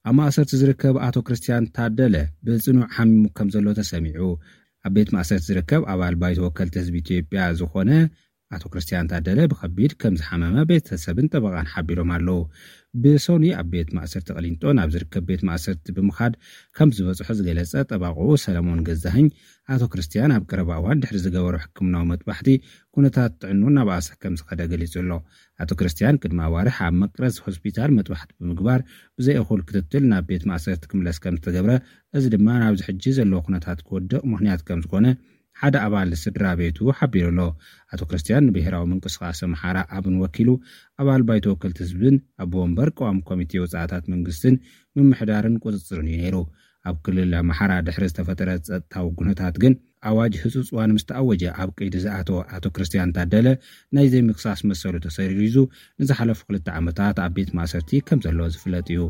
ኣብ ማእሰርቲ ዝርከብ ኣቶ ክርስትያን ታደለ ብጽኑዕ ሓሚሙ ከም ዘሎ ተሰሚዑ። ኣብ ቤት ማእሰርቲ ዝርከብ ኣባል ባይቶ ወከልቲ ህዝቢ ኢትዮጵያ ዝኾነ ኣቶ ክርስትያን ታደለ ብኸቢድ ከም ዝሓመመ ቤተሰብን ጠበቓን ሓቢሮም ኣለዉ። ብሶኒ ኣብ ቤት ማእሰርቲ ቅሊንጦ ናብ ዝርከብ ቤት ማእሰርቲ ብምኻድ ከም ዝበጽሖ ዝገለጸ ጠበቓኡ ሰለሞን ገዛኸኝ፣ ኣቶ ክርስትያን ኣብ ቀረባ እዋን ድሕሪ ዝገበሮ ሕክምናዊ መጥባሕቲ ኩነታት ጥዕንኡ እናበኣሰ ከም ዝኸደ ገሊጹ ኣሎ። ኣቶ ክርስትያን ቅድሚ ኣዋርሕ ኣብ መቅረዝ ሆስፒታል መጥባሕቲ ብምግባር ብዘይ እኹል ክትትል ናብ ቤት ማእሰርቲ ክምለስ ከም ዝተገብረ፣ እዚ ድማ ናብዚ ሕጂ ዘለዎ ኩነታት ክወድቕ ምኽንያት ከም ዝኾነ ሓደ ኣባል ስድራ ቤቱ ሓቢሩ ኣሎ። ኣቶ ክርስትያን ንብሄራዊ ምንቅስቓስ ኣምሓራ ኣብን ወኪሉ፣ ኣባል ባይቶ ወከልቲ ህዝብን ኣቦ ወንበር ቀዋሚ ኮሚቴ ወጻእታት መንግስትን ምምሕዳርን ቁጽጽርን እዩ ነይሩ። ኣብ ክልል ኣምሓራ ድሕሪ ዝተፈጠረ ጸጥታዊ ኩነታት ግን፣ ኣዋጅ ህጹጽ እዋን ምስ ተኣወጀ ኣብ ቀይዲ ዝኣተወ ኣቶ ክርስትያን ታደለ ናይ ዘይምክሳስ መሰሉ ተሰሪዙ ንዝሓለፉ ክልተ ዓመታት ኣብ ቤት ማእሰርቲ ከም ዘሎ ዝፍለጥ እዩ።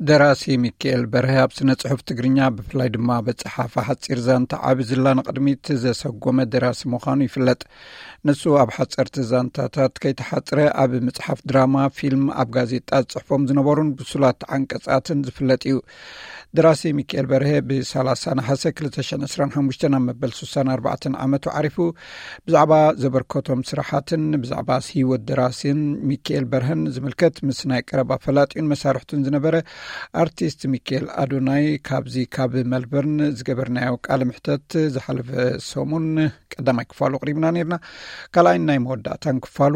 ደራሲ ሚካኤል በርሀ ኣብ ስነ ጽሑፍ ትግርኛ፣ ብፍላይ ድማ በጻሓፋ ሓጺር ዛንታ ዓቢ ዝላ ንቕድሚት ዘሰጎመ ደራሲ ምዃኑ ይፍለጥ። ንሱ ኣብ ሓጸርቲ ዛንታታት ከይተሓጽረ ኣብ መጽሓፍ ድራማ፣ ፊልም፣ ኣብ ጋዜጣ ዝጽሕፎም ዝነበሩን ብሱላት ዓንቀጻትን ዝፍለጥ እዩ። ደራሲ ሚካኤል በርሀ ብ30 ነሓሰ ክልተ ሽሕን ዕስራን ሓሙሽተን ኣብ መበል ስሳን ኣርባዕተን ዓመቱ ዓሪፉ። ብዛዕባ ዘበርከቶም ስራሓትን ብዛዕባ ህይወት ደራሲን ሚካኤል በርሀን ዝምልከት ምስ ናይ ቀረባ ፈላጢኡን መሳርሕቱን ዝነበረ ኣርቲስት ሚካኤል ኣዶናይ ካብዚ ካብ መልበርን ዝገበርናዮ ቃለ ምሕተት ዝሓለፈ ሰሙን ቀዳማይ ክፋሉ ኣቕሪብና ነይርና። ካልኣይን ናይ መወዳእታን ክፋሉ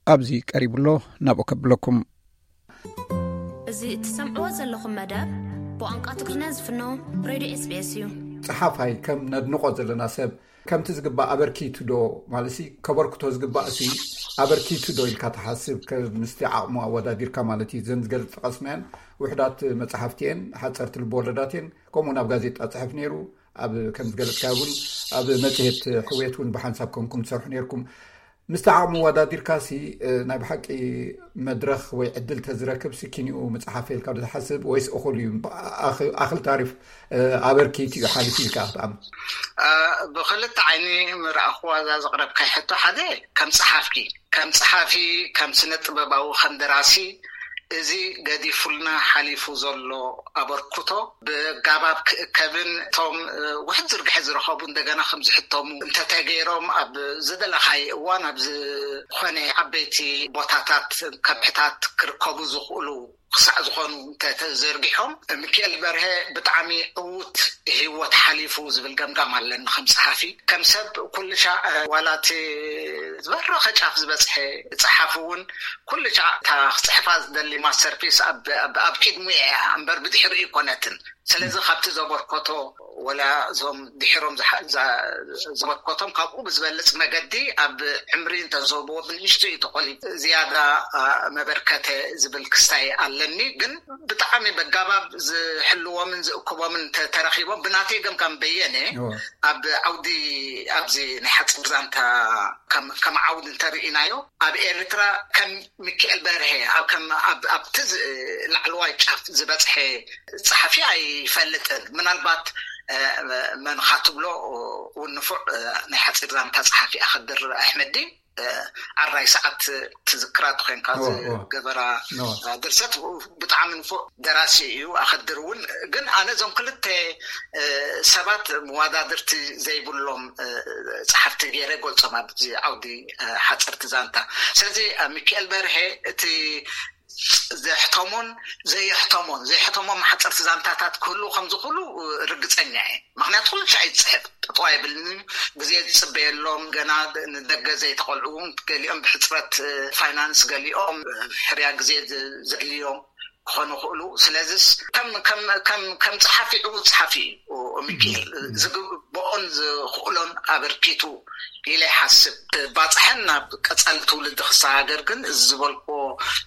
ኣብዚ ቀሪቡ ኣሎ። ናብኡ ከብለኩም። እዚ እትሰምዕዎ ዘለኹም መደብ ብቋንቋ ትግርኛ ዝፍኖ ሬድዮ ኤስቢኤስ እዩ። ጸሓፋይ ከም ነድንቆ ዘለና ሰብ ከምቲ ዝግባእ ኣበርኪቱ ዶ ማለት ሲ ከበርክቶ ዝግባእ ሲ ኣበርኪቱ ዶ ኢልካ ትሓስብ? ከምስቲ ዓቕሙ ኣወዳዲርካ ማለት እዩ። ዘን ዝገልጽ ጠቐስናየን ውሕዳት መጽሓፍቲ እየን፣ ሓጸርቲ ልብወለዳት እየን። ከምኡ ናብ ጋዜጣ ጽሕፍ ነይሩ። ኣብ ከም ዝገለጽካ እውን ኣብ መጽሔት ሕውየት እውን ብሓንሳብ ከምኩም ትሰርሑ ነይርኩም። ምስቲ ዓቕሙ ወዳዲርካ ሲ ናይ ብሓቂ መድረኽ ወይ ዕድል ተዝረክብ ሲ ኪኒኡ ምጽሓፍ ኢልካ ዶ ትሓስብ ወይስ እኹል እዩ? ኣኽል ታሪፍ ኣበርኪቱ እዩ ሓሊፉ ኢልካ ክትኣምን? ብክልተ ዓይኒ ምርኣኽዋ እዛ ዘቕረብካይ ሕቶ፣ ሓደ ከም ጸሓፊ ከም ጸሓፊ ከም ስነ ጥበባዊ ከም ደራሲ እዚ ገዲፉልና ሓሊፉ ዘሎ ኣበርክቶ ብጋባብ ክእከብን እቶም ውሕድ ዝርግሐ ዝረኸቡ እንደገና ከም ዝሕተሙ እንተተገይሮም ኣብ ዝደለኻይ እዋን ኣብ ዝኾነ ዓበይቲ ቦታታት ከብሕታት ክርከቡ ዝኽእሉ ክሳዕ ዝኾኑ እንተተዘርጊሖም ሚካኤል በርሀ ብጣዕሚ ዕዉት ህይወት ሓሊፉ ዝብል ገምጋም ኣለኒ። ከም ጸሓፊ ከም ሰብ ኩሉ ሻዕ ዋላ እቲ ዝበረኸ ጫፍ ዝበጽሐ ጸሓፊ እውን ኩሉ ሻዕ እታ ክጽሕፋ ዝደሊ ማስተርፒስ ኣብ ቅድሚኡ እያ እምበር ብድሕሪኡ ኣይኮነትን። ስለዚ ካብቲ ዘበርከቶ ወላ እዞም ድሕሮም ዘበርከቶም ካብኡ ብዝበልፅ መገዲ ኣብ ዕምሪ እንተዝህብዎ ብንእሽቱ እዩ ተቆሊሉ ዝያዳ መበርከተ ዝብል ክስታይ ኣለኒ። ግን ብጣዕሚ በጋባብ ዝሕልዎምን ዝእክቦምን ተረኪቦም ብናተይ ገምጋም በየነ ኣብ ዓውዲ ኣብዚ ናይ ሓፂር ዛንታ ከም ዓውዲ እንተርኢናዮ ኣብ ኤርትራ ከም ሚካኤል በርሀ ኣብቲ ላዕለዋይ ጫፍ ዝበፅሐ ጸሓፊ ኣይፈልጥን። ምናልባት መንኻ ትብሎ እውን ንፉዕ ናይ ሓፂር ዛንታ ጸሓፊ ኣኸድር ኣሕመዲ ዓራይ ሰዓት ትዝክራ ተኮንካ ዝገበራ ድርሰት ብጣዕሚ ንፉዕ ደራሲ እዩ። ኣኸድር እውን ግን ኣነ እዞም ክልተ ሰባት መዋዳድርቲ ዘይብሎም ጸሓፍቲ ገይረ ገልጾም ኣብዚ ዓውዲ ሓፀርቲ ዛንታ። ስለዚ ሚካኤል በርሀ እቲ ዘሕተሞን ዘየሕተሞን ዘየሕተሞም ሓፀርቲ ዛንታታት ክህሉ ከምዝኽእሉ ርግፀኛ እየ። ምክንያቱ ኩሉ ሻዕ ይፅሕፍ ጠጠው ኣይብልን። ግዜ ዝፅበየሎም ገና ንደገ ዘይተቆልዑ፣ ገሊኦም ብሕፅረት ፋይናንስ፣ ገሊኦም ሕርያ ግዜ ዘድልዮም ክኾኑ ይኽእሉ። ስለዚስ ከም ጸሓፊ ዕዉት ጸሓፊ እዩ ሚኪኤል። ዝግብኦን ዝኽእሎን ኣበርኪቱ ኢለ ይሓስብ። ባፅሐን ናብ ቀፃሊ ትውልዲ ክሰጋገር ግን እዚ ዝበልክዎ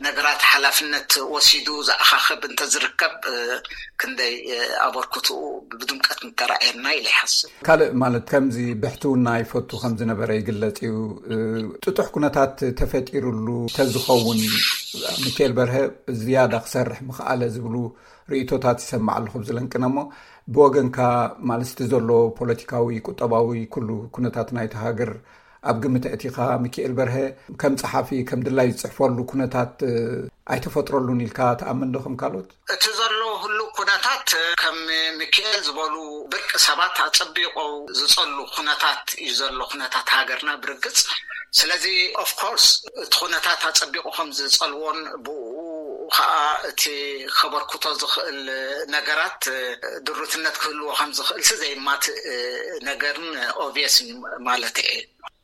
ነገራት ሓላፍነት ወሲዱ ዝኣኻኽብ እንተዝርከብ ክንደይ ኣበርክትኡ ብድምቀት ምተራእየና ኢለ ይሓስብ። ካልእ ማለት ከምዚ ብሕትውና ይፈቱ ከምዝነበረ ይግለጽ እዩ። ጥጡሕ ኩነታት ተፈጢሩሉ ተዝኸውን ሚካኤል በርሀ ዝያዳ ክሰርሕ ምኽኣለ ዝብሉ ርእይቶታት ይሰማዕ ኣለኹ ብዝለንቅነ እሞ ብወገንካ ማለት እቲ ዘሎ ፖለቲካዊ፣ ቁጠባዊ ኩሉ ኩነታት ናይቲ ሃገር ኣብ ግምት ኣእቲኻ ሚካኤል በርሀ ከም ጸሓፊ ከም ድላይ ዝጽሕፈሉ ኩነታት ኣይተፈጥረሉን ኢልካ ትኣምን ዶ ከም ካልኦት? እቲ ዘሎ ህሉው ኩነታት ከም ሚካኤል ዝበሉ ብርቂ ሰባት ኣጸቢቑ ዝጸሉ ኩነታት እዩ ዘሎ ኩነታት ሃገርና ብርግጽ። ስለዚ ኦፍኮርስ እቲ ኩነታት ኣጸቢቑ ከም ዝጸልዎን ብኡ ከዓ እቲ ከበርክቶ ዝኽእል ነገራት ድሩትነት ክህልዎ ከም ዝኽእል ሲ ዘይማትእ ነገርን ኦብቪየስ እዩ ማለት እየ።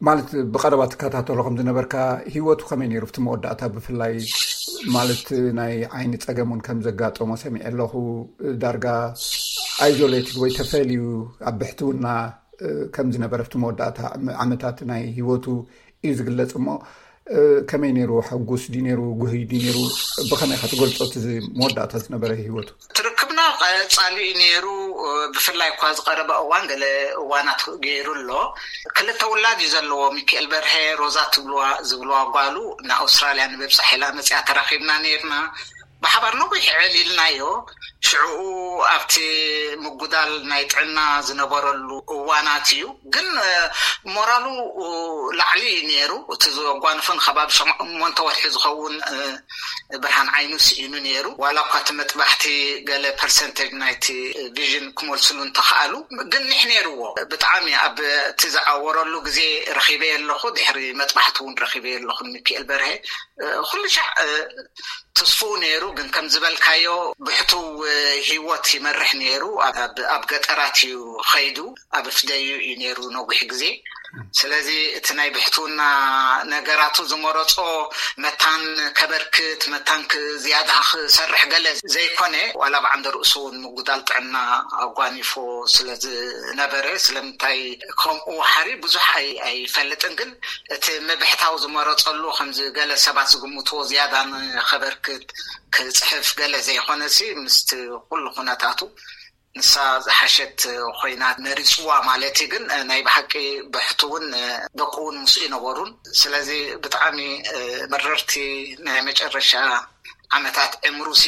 ማለት ብቐረባ ትከታተሎ ከም ዝነበርካ ህይወቱ ከመይ ነይሩ? ኣብቲ መወዳእታ ብፍላይ ማለት ናይ ዓይኒ ጸገም እውን ከም ዘጋጠሞ ሰሚዐ ኣለኹ። ዳርጋ ኣይዞሌትድ ወይ ተፈልዩ ኣብ ብሕትውና ከም ዝነበረ ኣብቲ መወዳእታ ዓመታት ናይ ህይወቱ እዩ ዝግለጽ። እሞ ከመይ ነይሩ? ሕጉስ ድዩ ነይሩ? ጉህይ ድዩ ነይሩ? ብኸመይ ኢኻ ትገልጾ እቲ መወዳእታ ዝነበረ ህይወቱ? ትርክብና ቀጻሊ እዩ ነይሩ። ብፍላይ እኳ ዝቐረበ እዋን ገለ እዋናት ገይሩ ኣሎ። ክልተ ውላድ እዩ ዘለዎ። ሚካኤል በርሀ፣ ሮዛ ትብልዋ ዝብልዋ ጓሉ ንኣውስትራልያ ንምብጻሕ ኢላ መጺኣ ተራኺብና ነይርና። ብሓባር ነዊሕ ዕልልናዮ። ሽዕኡ ኣብቲ ምጉዳል ናይ ጥዕና ዝነበረሉ እዋናት እዩ። ግን ሞራሉ ላዕሊ እዩ ነይሩ። እቲ ዘጓንፎ ንከባቢ ሸሞንተ ወርሒ ዝኸውን ብርሃን ዓይኑ ስኢኑ ነይሩ። ዋላ እኳ እቲ መጥባሕቲ ገለ ፐርሰንቴጅ ናይቲ ቪዥን ክመልስሉ እንተኸኣሉ፣ ግን ኒሕ ነይርዎ። ብጣዕሚ ኣብ እቲ ዝዓወረሉ ግዜ ረኺበ ኣለኹ። ድሕሪ መጥባሕቲ እውን ረኺበ ኣለኹ። ሚካኤል በርሀ ኩሉ ሻዕ እቲ ተስፍኡ ነይሩ፣ ግን ከም ዝበልካዮ ብሕቱው ህይወት ይመርሕ ነይሩ። ኣብ ገጠራት እዩ ኸይዱ፣ ኣብ ፍደዩ እዩ ነይሩ ነዊሕ ግዜ። ስለዚ እቲ ናይ ብሕትውና ነገራቱ ዝመረጾ መታን ከበርክት፣ መታን ዝያዳ ክሰርሕ ገለ ዘይኮነ፣ ዋላ ብዓንደ ርእሱ እውን ምጉዳል ጥዕና ኣጓኒፎ ስለ ዝነበረ፣ ስለምንታይ ከምኡ ሓሪ ብዙሕ ኣይፈልጥን። ግን እቲ ምብሕታው ዝመረጸሉ፣ ከምዚ ገለ ሰባት ዝግምትዎ፣ ዝያዳ ንኸበርክት ክጽሕፍ ገለ ዘይኮነሲ፣ ምስቲ ኩሉ ኩነታቱ ንሳ ዝሓሸት ኮይና መሪጽዋ ማለት እዩ። ግን ናይ ብሓቂ ብሕቱ እውን ደቁ እውን ምስኡ ይነበሩን። ስለዚ ብጣዕሚ መረርቲ ናይ መጨረሻ ዓመታት ዕምሩሲ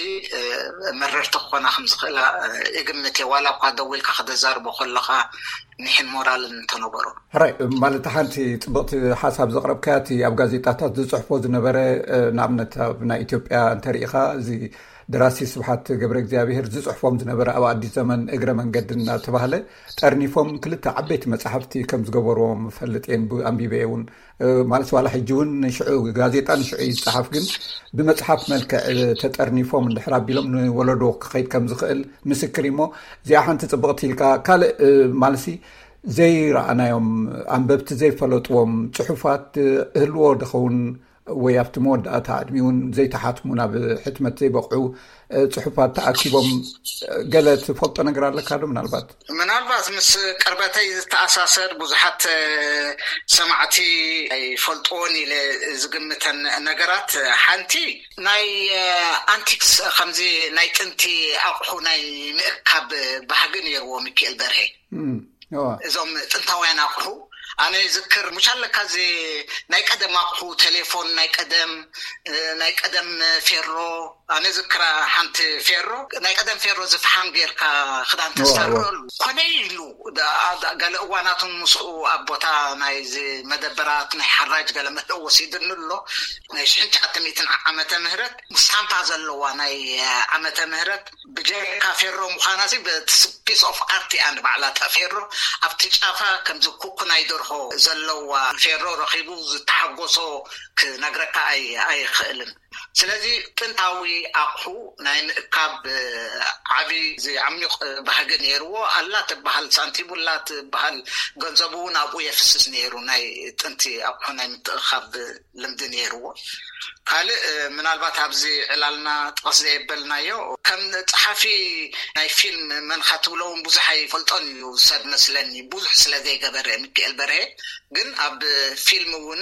መረርቲ ክኾና ከም ዝኽእላ ይግምት እየ። ዋላ እኳ ደው ኢልካ ክተዛርቦ ከለኻ ኒሕን ሞራልን እንተነበሮ። ሕራይ፣ ማለት ሓንቲ ጽብቕቲ ሓሳብ ዘቕረብካያ፣ እቲ ኣብ ጋዜጣታት ዝጽሕፎ ዝነበረ፣ ንኣብነት ኣብ ናይ ኢትዮጵያ እንተሪኢኻ፣ እዚ ደራሲ ስብሓት ገብረ እግዚኣብሔር ዝጽሕፎም ዝነበረ ኣብ ኣዲስ ዘመን እግረ መንገዲ እናተባህለ ጠርኒፎም ክልተ ዓበይቲ መጻሕፍቲ ከም ዝገበርዎም እፈልጥ እየ፣ ኣንቢበ እውን። ማለት ዋላ ሕጂ እውን ንሽዑ ጋዜጣ ንሽዑ ይጸሓፍ፣ ግን ብመጽሓፍ መልክዕ ተጠርኒፎም እንድሕር ኣቢሎም ንወለዶ ክኸይድ ከም ዝኽእል ምስክር እሞ፣ እዚኣ ሓንቲ ጽብቕቲ ኢልካ። ካልእ ማለሲ ዘይረኣናዮም፣ ኣንበብቲ ዘይፈለጥዎም ጽሑፋት ህልዎ ድኸውን? ወይ ኣብቲ መወዳእታ ዕድሚኡ እውን ዘይተሓትሙ፣ ናብ ሕትመት ዘይበቕዑ ጽሑፋት ተኣኪቦም፣ ገለ ትፈልጦ ነገር ኣለካ ዶ? ምናልባት ምናልባት ምስ ቅርበተይ ዝተኣሳሰር፣ ብዙሓት ሰማዕቲ ኣይፈልጥዎን ኢለ ዝግምተን ነገራት፣ ሓንቲ ናይ ኣንቲክስ፣ ከምዚ ናይ ጥንቲ ኣቑሑ ናይ ምእካብ ባህጊ ነይርዎ ሚካኤል በርሄ። እዞም ጥንታውያን ኣቑሑ፣ ኣነ ዝክር፣ ሙሽ ኣለካ፣ እዚ ናይ ቀደም ኣቑሑ፣ ቴሌፎን ናይ ቀደም፣ ናይ ቀደም ፌሮ። ኣነ ዝክራ ሓንቲ ፌሮ፣ ናይ ቀደም ፌሮ፣ ዝፍሓም ጌርካ ክዳን ተሰርዕሉ ኮነ ኢሉ። ገለ እዋናቱን ምስኡ ኣብ ቦታ ናይ መደበራት ናይ ሓራጅ ገለ መለ ወሲድኒ ኣሎ። ናይ ሽሕን ትሽዓተ ሚእትን ዓመተ ምህረት፣ ስታምፓ ዘለዋ ናይ ዓመተ ምህረት፣ ብጀካ ፌሮ ምዃና ሲ ፒስ ኦፍ ኣርት እያ ንባዕላ እታ ፌሮ። ኣብቲ ጫፋ ከምዚ ኩኩ ናይ ደርሆ ዘለዋ ፌሮ ረኺቡ ዝተሓጎሶ ክነግረካ ኣይኽእልን። ስለዚ ጥንታዊ ኣቑሑ ናይ ምእካብ ዓብዪ ዓሚቕ ባህጊ ነይርዎ። ኣላ ትበሃል ሳንቲም፣ ኣላ ትበሃል ገንዘቡ እውን ኣብኡ የፍስስ ነይሩ። ናይ ጥንቲ ኣቑሑ ናይ ምትእኻብ ልምዲ ነይርዎ። ካልእ ምናልባት ኣብዚ ዕላልና ጥቕስ ዘየበልናዮ፣ ከም ጸሓፊ ናይ ፊልም መንኻ ትብሎ እውን ብዙሕ ኣይፈልጦን እዩ ሰብ መስለኒ፣ ብዙሕ ስለ ዘይገበረ ሚካኤል በርሄ። ግን ኣብ ፊልም እውን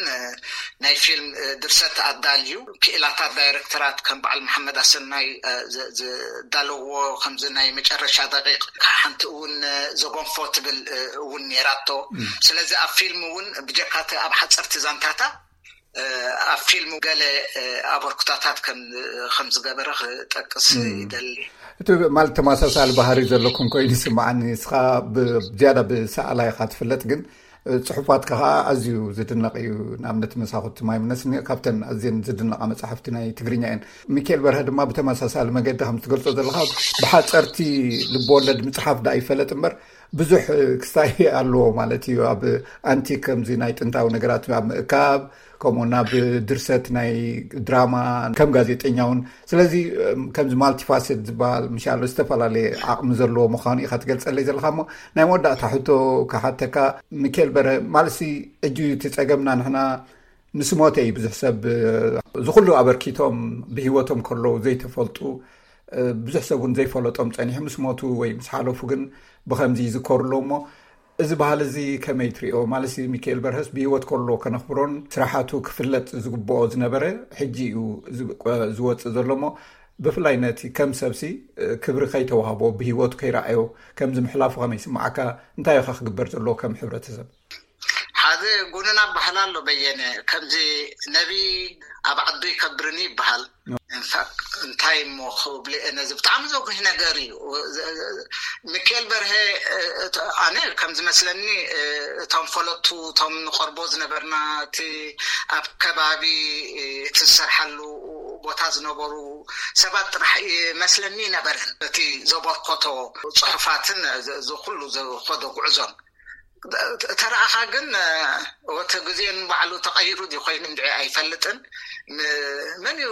ናይ ፊልም ድርሰት ኣዳልዩ፣ ክኢላታት ዳይሬክተራት ከም በዓል መሓመድ ኣሰናይ ዝዳለዎ፣ ከምዚ ናይ መጨረሻ ደቂቕ ሓንቲ እውን ዘጎንፎ ትብል እውን ነይራቶ። ስለዚ ኣብ ፊልም እውን ብጀካቲ ኣብ ሓፀርቲ ዛንታታ ኣብ ፊልም ገለ ኣበርክቶታት ከም ዝገበረ ክጠቅስ ይደሊ። እቲ ማለት ተመሳሳሊ ባህሪ ዘለኩም ኮይኑ ይስምዓኒ። ንስኻ ዝያዳ ብሰኣላይ ኢኻ ትፍለጥ፣ ግን ጽሑፋትካ ከዓ ኣዝዩ ዝድነቕ እዩ። ንኣብነት መሳኹቲ ማይ ምነስኒ ካብተን ኣዝየን ዝድነቓ መጻሕፍቲ ናይ ትግርኛ እየን። ሚካኤል በርሀ ድማ ብተመሳሳሊ መገዲ ከም ትገልጾ ዘለኻ ብሓጸርቲ ልብወለድ ምጽሓፍ ደኣ ይፈለጥ እምበር ብዙሕ ክስታይ ኣለዎ ማለት እዩ። ኣብ ኣንቲክ ከምዚ ናይ ጥንታዊ ነገራት ኣብ ምእካብ፣ ከምኡ ናብ ድርሰት ናይ ድራማ ከም ጋዜጠኛ እውን። ስለዚ ከምዚ ማልቲፋሴት ዝበሃል ምሻሎ ዝተፈላለየ ዓቕሚ ዘለዎ ምዃኑ ኢኻ ትገልጸለይ ዘለኻ። እሞ ናይ መወዳእታ ሕቶ ክሓተካ፣ ሚካኤል በርሀ፣ ማለትሲ ሕጂ እቲ ጸገምና ንሕና ምስ ሞተ እዩ ብዙሕ ሰብ እዚ ኩሉ ኣበርኪቶም ብህይወቶም ከለዉ ዘይተፈልጡ፣ ብዙሕ ሰብ እውን ዘይፈለጦም ጸኒሑ ምስ ሞቱ ወይ ምስ ሓለፉ ግን ብኸምዚ ይዝከሩ ኣለዉ። እሞ እዚ ባህሊ እዚ ከመይ ትሪኦ? ማለት ሚካኤል በርሀስ ብህይወት ከሎ ከነኽብሮን ስራሓቱ ክፍለጥ ዝግብኦ ዝነበረ ሕጂ እዩ ዝወፅእ ዘሎ። እሞ ብፍላይ ነቲ ከም ሰብሲ ክብሪ ከይተዋህቦ ብህይወቱ ከይረኣዮ ከምዚ ምሕላፉ ከመይ ይስምዓካ? እንታይ ኢኻ ክግበር ዘለዎ ከም ሕብረተሰብ? ሓደ ጉንና ባህል ኣሎ በየነ፣ ከምዚ ነቢ ኣብ ዓዱ ይከብርኒ ይበሃል። እንፋ-፣ እንታይ እሞ ክብልየ ነዚ ብጣዕሚ ዘጉህ ነገር እዩ። ሚካኤል በርሀ፣ ኣነ ከም ዝመስለኒ፣ እቶም ፈለጥቱ፣ እቶም ንቐርቦ ዝነበርና፣ እቲ ኣብ ከባቢ እቲ ዝሰርሓሉ ቦታ ዝነበሩ ሰባት ጥራሕ ይመስለኒ ነበረን። እቲ ዘበርከቶ ጽሑፋትን እዚ ኩሉ ዝኸዶ ጉዕዞን ተረኣኻ ግን፣ እቲ ግዜ ንባዕሉ ተቐይሩ ድዩ ኮይኑ እንድዒ ኣይፈልጥን። ም-፣ መን እዩ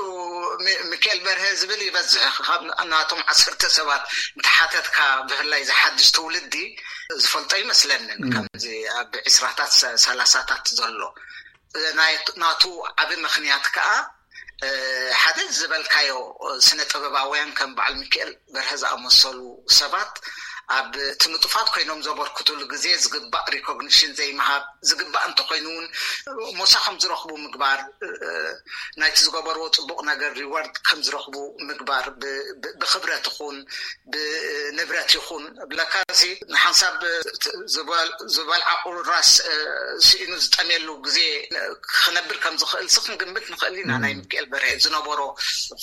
ሚ-፣ ሚካኤል በርሀ ዝብል ይበዝሕ። ካብ ናቶም ዓሰርተ ሰባት እንተሓተትካ፣ ብፍላይ ዝሓድሽ ትውልዲ ዝፈልጦ ይመስለንን። ከምዚ ኣብ ዕስራታት፣ ሰላሳታት ዘሎ ናቱ ዓቢ ምኽንያት ከኣ ሓደ ዝበልካዮ፣ ስነ ጥበባውያን ከም በዓል ሚካኤል በርሀ ዝኣመሰሉ ሰባት ኣብ እቲ ንጡፋት ኮይኖም ዘበርክቱሉ ግዜ ዝግባእ ሪኮግኒሽን ዘይምሃብ፣ ዝግባእ እንተኮይኑ እውን ሞሳ ከም ዝረኽቡ ምግባር፣ ናይቲ ዝገበርዎ ጽቡቕ ነገር ሪዋርድ ከም ዝረኽቡ ምግባር፣ ብክብረት ይኹን ብንብረት ይኹን ብለካ፣ ንሓንሳብ ዝበልዓ ቁራስ ስኢኑ ዝጠምየሉ ግዜ ክነብር ከም ዝኽእል ሲ ክንግምት ንኽእል ኢና። ናይ ሚካኤል በርሀ ዝነበሮ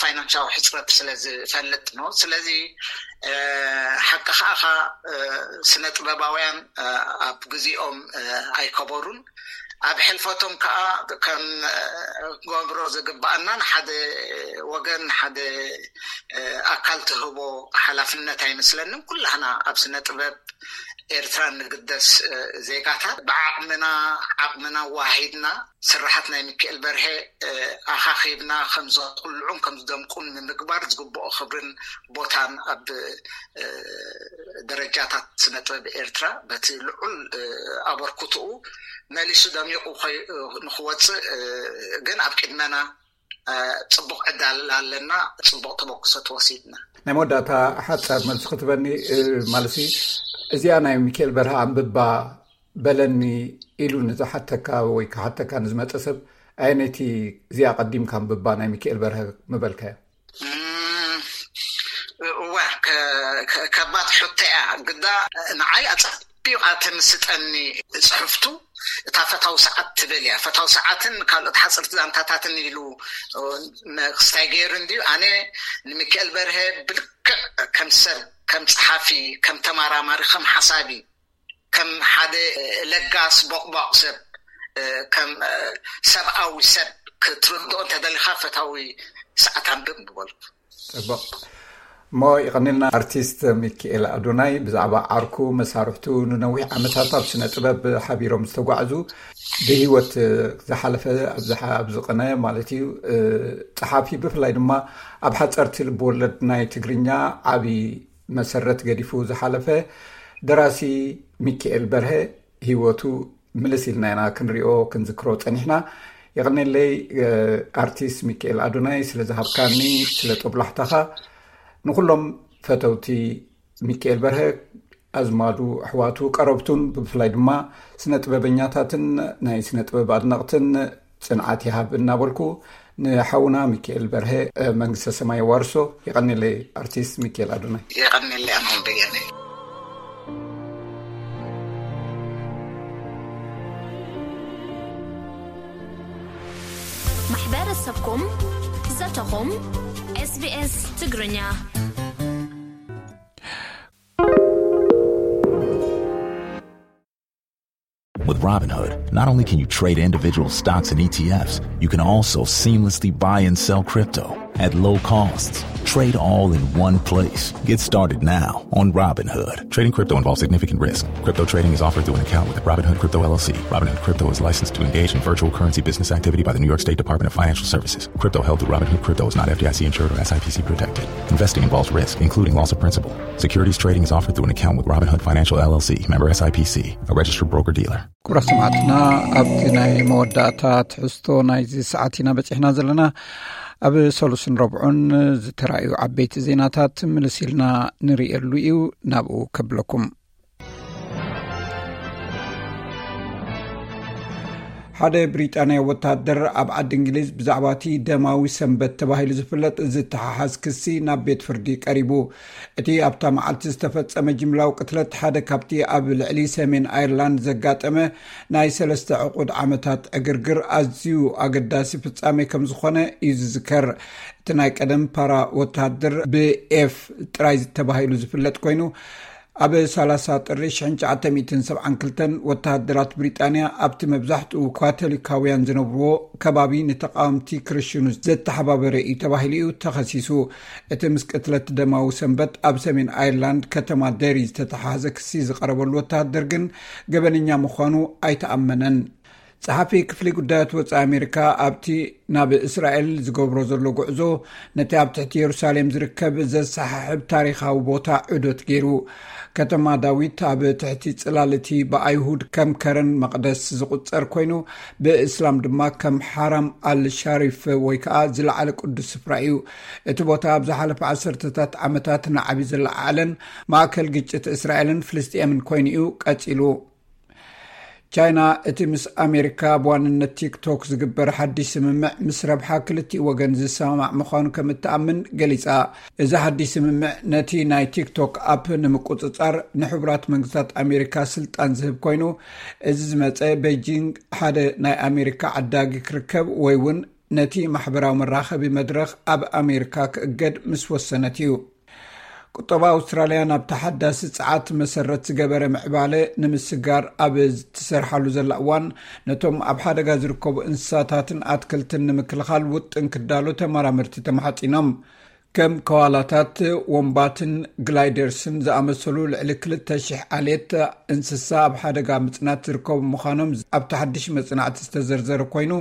ፋይናንሻዊ ሕፅረት ስለ ዝፈልጥ ነው። ስለዚ ሓቂ ከኣኻ፣ ስነ ጥበባውያን ኣብ ግዜኦም ኣይከበሩን። ኣብ ሕልፈቶም ከዓ ከም ገብሮ ዝግባኣና፣ ንሓደ ወገን፣ ንሓደ ኣካል ትህቦ ሓላፍነት ኣይመስለንን። ኩላህና ኣብ ስነ ጥበብ ኤርትራ እንግደስ ዜጋታት ብዓቕምና፣ ዓቕምና ዋሂድና ስራሓት ናይ ሚካኤል በርሀ ኣኻኺብና ከም ዘኩልዑን ከም ዝደምቁን ንምግባር ዝግብኦ ክብርን ቦታን ኣብ ደረጃታት ስነ ጥበብ ኤርትራ በቲ ልዑል ኣበርክትኡ መሊሱ ደሚቑ ንክወፅእ ግን ኣብ ቅድመና ፅቡቕ ዕዳል ኣለና። ፅቡቕ ተበክሶ ተወሲድና። ናይ መወዳእታ ሓፃር መልሲ ክትበኒ ማለት፣ እዚኣ ናይ ሚካኤል በርሀ ኣንብባ በለኒ ኢሉ ንዝሓተካ ወይ ክሓተካ ንዝመፀ ሰብ፣ ኣየነይቲ እዚኣ ቀዲምካ ኣንብባ ናይ ሚካኤል በርሀ ምበልካዮ? እዋ፣ ከባድ ሕቶ እያ። ግዳ ንዓይ ኣፀቢቓ ተምስጠኒ ፅሕፍቱ እታ ፈታዊ ሰዓት ትብል እያ። ፈታዊ ሰዓትን ካልኦት ሓፀርቲ ዛንታታትን ኢሉ ክስታይ ገይሩ እንድዩ። ኣነ ንሚካኤል በርሀ ብልክዕ ከም ሰብ፣ ከም ፀሓፊ፣ ከም ተመራማሪ፣ ከም ሓሳቢ፣ ከም ሓደ ለጋስ ቦቕቧቕ ሰብ፣ ከም ሰብኣዊ ሰብ ክትርድኦ እንተደሊኻ ፈታዊ ሰዓት ኣንብብ ምበልኩ። ፅቡቕ። እሞ ይቐኒልና ኣርቲስት ሚካኤል ኣዶናይ፣ ብዛዕባ ዓርኩ፣ መሳርሕቱ፣ ንነዊሕ ዓመታት ኣብ ስነ ጥበብ ሓቢሮም ዝተጓዕዙ፣ ብህይወት ዝሓለፈ ኣብዚ ቅነ ማለት እዩ፣ ጸሓፊ፣ ብፍላይ ድማ ኣብ ሓጸርቲ ልብወለድ ናይ ትግርኛ ዓቢ መሰረት ገዲፉ ዝሓለፈ ደራሲ ሚካኤል በርሀ ህይወቱ ምልስ ኢልና ኢና ክንሪኦ ክንዝክሮ ጸኒሕና። የቐኔለይ ኣርቲስት ሚካኤል ኣዶናይ ስለ ዝሃብካኒ፣ ስለ ጦብላሕታኻ። ንኹሎም ፈተውቲ ሚካኤል በርሀ፣ ኣዝማዱ፣ ኣሕዋቱ፣ ቀረብቱን ብፍላይ ድማ ስነ ጥበበኛታትን ናይ ስነ ጥበብ ኣድነቕትን ጽንዓት ይሃብ እናበልኩ፣ ንሓውና ሚካኤል በርሀ መንግስተ ሰማይ የዋርሶ። የቐኔለይ ኣርቲስት ሚካኤል ኣዶናይ። የቐኔለይ ኣማን በየነ። ማሕበረሰብኩም፣ ዘተኹም፣ SBS ትግርኛ። With Robinhood, not only can you trade individual stocks and E T Fs, you can also seamlessly buy and sell crypto at low costs. Trade all in one place. Get started now on Robinhood. Trading crypto involves significant risk. Crypto trading is offered through an account with Robinhood Crypto L L C. Robinhood Crypto is licensed to engage in virtual currency business activity by the New York State Department of Financial Services. Crypto held through Robinhood Crypto is not F D I C insured or S I P C protected. Investing involves risk, including loss of principal. Securities trading is offered through an account with Robinhood Financial L L C, member S I P C, a registered broker-dealer. ክቡራት ሰማዕትና፣ ኣብቲ ናይ መወዳእታ ትሕዝቶ ናይዚ ሰዓት ኢና በጺሕና ዘለና። ኣብ ሰሉስን ረብዑን ዝተራእዩ ዓበይቲ ዜናታት ምልስ ኢልና ንርእየሉ እዩ። ናብኡ ከብለኩም። ሓደ ብሪጣንያ ወታደር ኣብ ዓዲ እንግሊዝ ብዛዕባ እቲ ደማዊ ሰንበት ተባሂሉ ዝፍለጥ ዝተሓሓዝ ክሲ ናብ ቤት ፍርዲ ቀሪቡ። እቲ ኣብታ መዓልቲ ዝተፈጸመ ጅምላዊ ቅትለት ሓደ ካብቲ ኣብ ልዕሊ ሰሜን ኣየርላንድ ዘጋጠመ ናይ ሰለስተ ዕቑድ ዓመታት ዕግርግር ኣዝዩ ኣገዳሲ ፍጻሜ ከም ዝኾነ እዩ ዝዝከር። እቲ ናይ ቀደም ፓራ ወታደር ብኤፍ ጥራይ ተባሂሉ ዝፍለጥ ኮይኑ፣ ኣብ ሰላሳ ጥሪ ሽሕን ትሽዓተ ሚእትን ሰብዓን ክልተን ወተሃደራት ብሪጣንያ ኣብቲ መብዛሕትኡ ካቶሊካውያን ዝነብርዎ ከባቢ ንተቓወምቲ ክርስትያኑ ዘተሓባበረ እዩ ተባሂሉ እዩ ተኸሲሱ። እቲ ምስ ቅትለት ደማዊ ሰንበት ኣብ ሰሜን ኣየርላንድ ከተማ ደሪ ዝተተሓሓዘ ክሲ ዝቐረበሉ ወተሃደር ግን ገበነኛ ምዃኑ ኣይተኣመነን። ጸሓፊ ክፍሊ ጉዳያት ወጻኢ ኣሜሪካ ኣብቲ ናብ እስራኤል ዝገብሮ ዘሎ ጉዕዞ፣ ነቲ ኣብ ትሕቲ የሩሳሌም ዝርከብ ዘሰሓሕብ ታሪኻዊ ቦታ ዑደት ገይሩ። ከተማ ዳዊት ኣብ ትሕቲ ጽላል እቲ ብኣይሁድ ከም ከረን መቕደስ ዝቑጸር ኮይኑ፣ ብእስላም ድማ ከም ሓራም ኣል ሻሪፍ ወይ ከዓ ዝለዓለ ቅዱስ ስፍራ እዩ። እቲ ቦታ ኣብ ዝሓለፈ ዓሰርተታት ዓመታት ንዓቢ ዝለዓዓለን ማእከል ግጭት እስራኤልን ፍልስጤምን ኮይኑ እዩ ቀጺሉ። ቻይና እቲ ምስ ኣሜሪካ ብዋንነት ቲክቶክ ዝግበር ሓድሽ ስምምዕ ምስ ረብሓ ክልቲኡ ወገን ዝሰማማዕ ምዃኑ ከም እትኣምን ገሊጻ። እዚ ሓድሽ ስምምዕ ነቲ ናይ ቲክቶክ ኣፕ ንምቁጽጻር ንሕቡራት መንግስታት ኣሜሪካ ስልጣን ዝህብ ኮይኑ፣ እዚ ዝመጸ ቤጂንግ ሓደ ናይ ኣሜሪካ ዓዳጊ ክርከብ ወይ እውን ነቲ ማሕበራዊ መራኸቢ መድረኽ ኣብ ኣሜሪካ ክእገድ ምስ ወሰነት እዩ። ቁጠባ ኣውስትራልያ ናብ ተሓዳሲ ጸዓት መሰረት ዝገበረ ምዕባለ ንምስጋር ኣብ እትሰርሓሉ ዘላ እዋን፣ ነቶም ኣብ ሓደጋ ዝርከቡ እንስሳታትን ኣትክልትን ንምክልኻል ውጥን ክዳሎ ተመራመርቲ ተማሓጺኖም። ከም ከዋላታት፣ ወንባትን ግላይደርስን ዝኣመሰሉ ልዕሊ ክልተ ሽሕ ዓሌት እንስሳ ኣብ ሓደጋ ምጽናት ዝርከቡ ምዃኖም ኣብቲ ሓድሽ መጽናዕቲ ዝተዘርዘረ ኮይኑ፣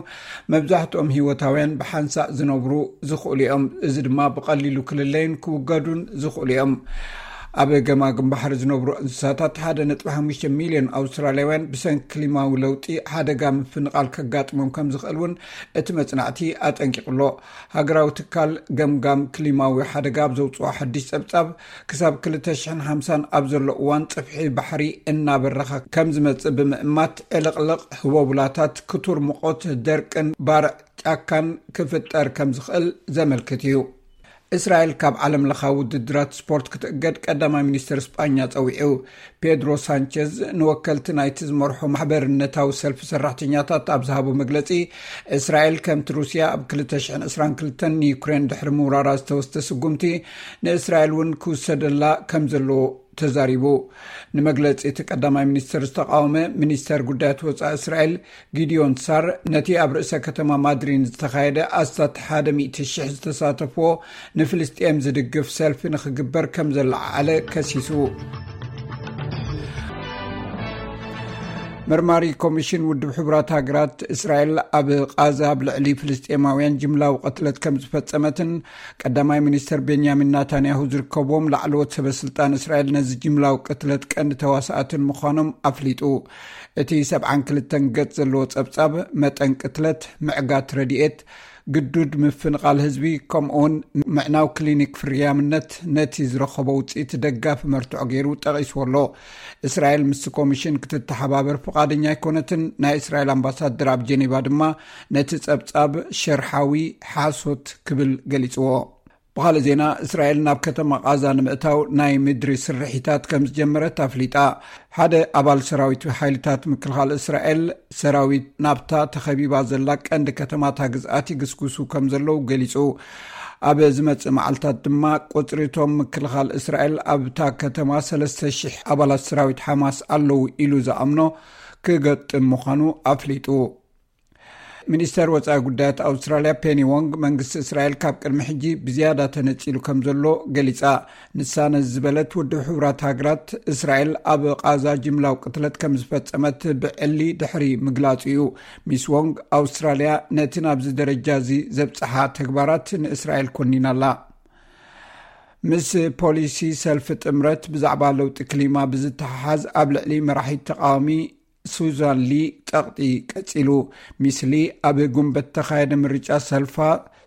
መብዛሕትኦም ህይወታውያን ብሓንሳእ ዝነብሩ ዝኽእሉ እዮም። እዚ ድማ ብቐሊሉ ክልለዩን ክውገዱን ዝኽእሉ እዮም። ኣብ ገማግም ባሕሪ ዝነብሩ እንስሳታት ሓደ ነጥቢ ሓሙሽተ ሚልዮን ኣውስትራልያውያን ብሰንኪ ክሊማዊ ለውጢ ሓደጋ ምፍንቓል ከጋጥሞም ከም ዝኽእል እውን እቲ መጽናዕቲ ኣጠንቂቑ ኣሎ። ሃገራዊ ትካል ገምጋም ክሊማዊ ሓደጋ ኣብ ዘውፅኦ ሓድሽ ጸብጻብ፣ ክሳብ ክልተ ሽሕን ሓምሳን ኣብ ዘሎ እዋን ጽፍሒ ባሕሪ እናበረኸ ከም ዝመጽእ ብምእማት፣ ዕልቕልቕ፣ ህቦቡላታት፣ ክቱር ሙቐት፣ ደርቅን ባርዕ ጫካን ክፍጠር ከም ዝኽእል ዘመልክት እዩ። እስራኤል ካብ ዓለም ለኻዊ ውድድራት ስፖርት ክትእገድ ቀዳማይ ሚኒስትር ስጳኛ ጸዊዑ። ፔድሮ ሳንቸዝ ንወከልቲ ናይቲ ዝመርሖ ማሕበርነታዊ ሰልፊ ሰራሕተኛታት ኣብ ዝሃቦ መግለጺ፣ እስራኤል ከምቲ ሩስያ ኣብ ክልተ ሽሕን ዕስራን ክልተን ንዩክሬን ድሕሪ ምውራራ ዝተወስደ ስጉምቲ ንእስራኤል እውን ክውሰደላ ከም ዘለዎ ተዛሪቡ። ንመግለጺ እቲ ቀዳማይ ሚኒስትር ዝተቃወመ ሚኒስተር ጉዳያት ወጻኢ እስራኤል ጊዲዮን ሳር፣ ነቲ ኣብ ርእሰ ከተማ ማድሪን ዝተኻየደ ኣስታት ሓደ ሚእቲ ሽሕ ዝተሳተፍዎ ንፍልስጤም ዝድግፍ ሰልፊ ንኽግበር ከም ዘለዓዓለ ከሲሱ። መርማሪ ኮሚሽን ውድብ ሕቡራት ሃገራት፣ እስራኤል ኣብ ቃዛ ኣብ ልዕሊ ፍልስጤማውያን ጅምላዊ ቅትለት ከም ዝፈጸመትን ቀዳማይ ሚኒስተር ቤንያሚን ናታንያሁ ዝርከብዎም ላዕለዎት ሰበ ስልጣን እስራኤል ነዚ ጅምላዊ ቅትለት ቀንዲ ተዋሳእትን ምዃኖም ኣፍሊጡ። እቲ ሰብዓን ክልተን ገጽ ዘለዎ ጸብጻብ፣ መጠን ቅትለት፣ ምዕጋት ረድኤት፣ ግዱድ ምፍንቓል ህዝቢ፣ ከምኡውን ምዕናው ክሊኒክ ፍርያምነት ነቲ ዝረኸቦ ውጽኢት ደጋፊ መርትዖ ገይሩ ጠቒስዎ ኣሎ። እስራኤል ምስቲ ኮሚሽን ክትተሓባበር ፍቓደኛ ኣይኮነትን። ናይ እስራኤል ኣምባሳደር ኣብ ጀኔቫ ድማ ነቲ ጸብጻብ ሸርሓዊ ሓሶት ክብል ገሊጽዎ። ብኻልእ ዜና፣ እስራኤል ናብ ከተማ ቓዛ ንምእታው ናይ ምድሪ ስርሒታት ከም ዝጀመረት ኣፍሊጣ። ሓደ ኣባል ሰራዊት ሓይልታት ምክልኻል እስራኤል፣ ሰራዊት ናብታ ተኸቢባ ዘላ ቀንዲ ከተማታ ግዝኣት ይግስግሱ ከም ዘለዉ ገሊጹ። ኣብ ዝመጽእ መዓልታት ድማ ቁጽሪ እቶም ምክልኻል እስራኤል ኣብታ ከተማ ሰለስተ ሽሕ ኣባላት ሰራዊት ሓማስ ኣለዉ ኢሉ ዝኣምኖ ክገጥም ምዃኑ ኣፍሊጡ። ሚኒስተር ወጻኢ ጉዳያት ኣውስትራልያ ፔኒ ዎንግ፣ መንግስቲ እስራኤል ካብ ቅድሚ ሕጂ ብዝያዳ ተነጺሉ ከም ዘሎ ገሊጻ። ንሳ ነዚ ዝበለት፣ ውድብ ሕቡራት ሃገራት እስራኤል ኣብ ቓዛ ጅምላዊ ቅትለት ከም ዝፈጸመት ብዕሊ ድሕሪ ምግላጹ እዩ። ሚስ ዎንግ፣ ኣውስትራልያ ነቲ ናብዚ ደረጃ እዚ ዘብጽሓ ተግባራት ንእስራኤል ኮኒና ኣላ። ምስ ፖሊሲ ሰልፊ ጥምረት ብዛዕባ ለውጢ ክሊማ ብዝተሓሓዝ፣ ኣብ ልዕሊ መራሒት ተቃዋሚ ሱዛን ሊ ጸቕጢ ቀጺሉ። ሚስ ሊ ኣብ ጉንበት ተኻየደ ምርጫ ሰልፋ፣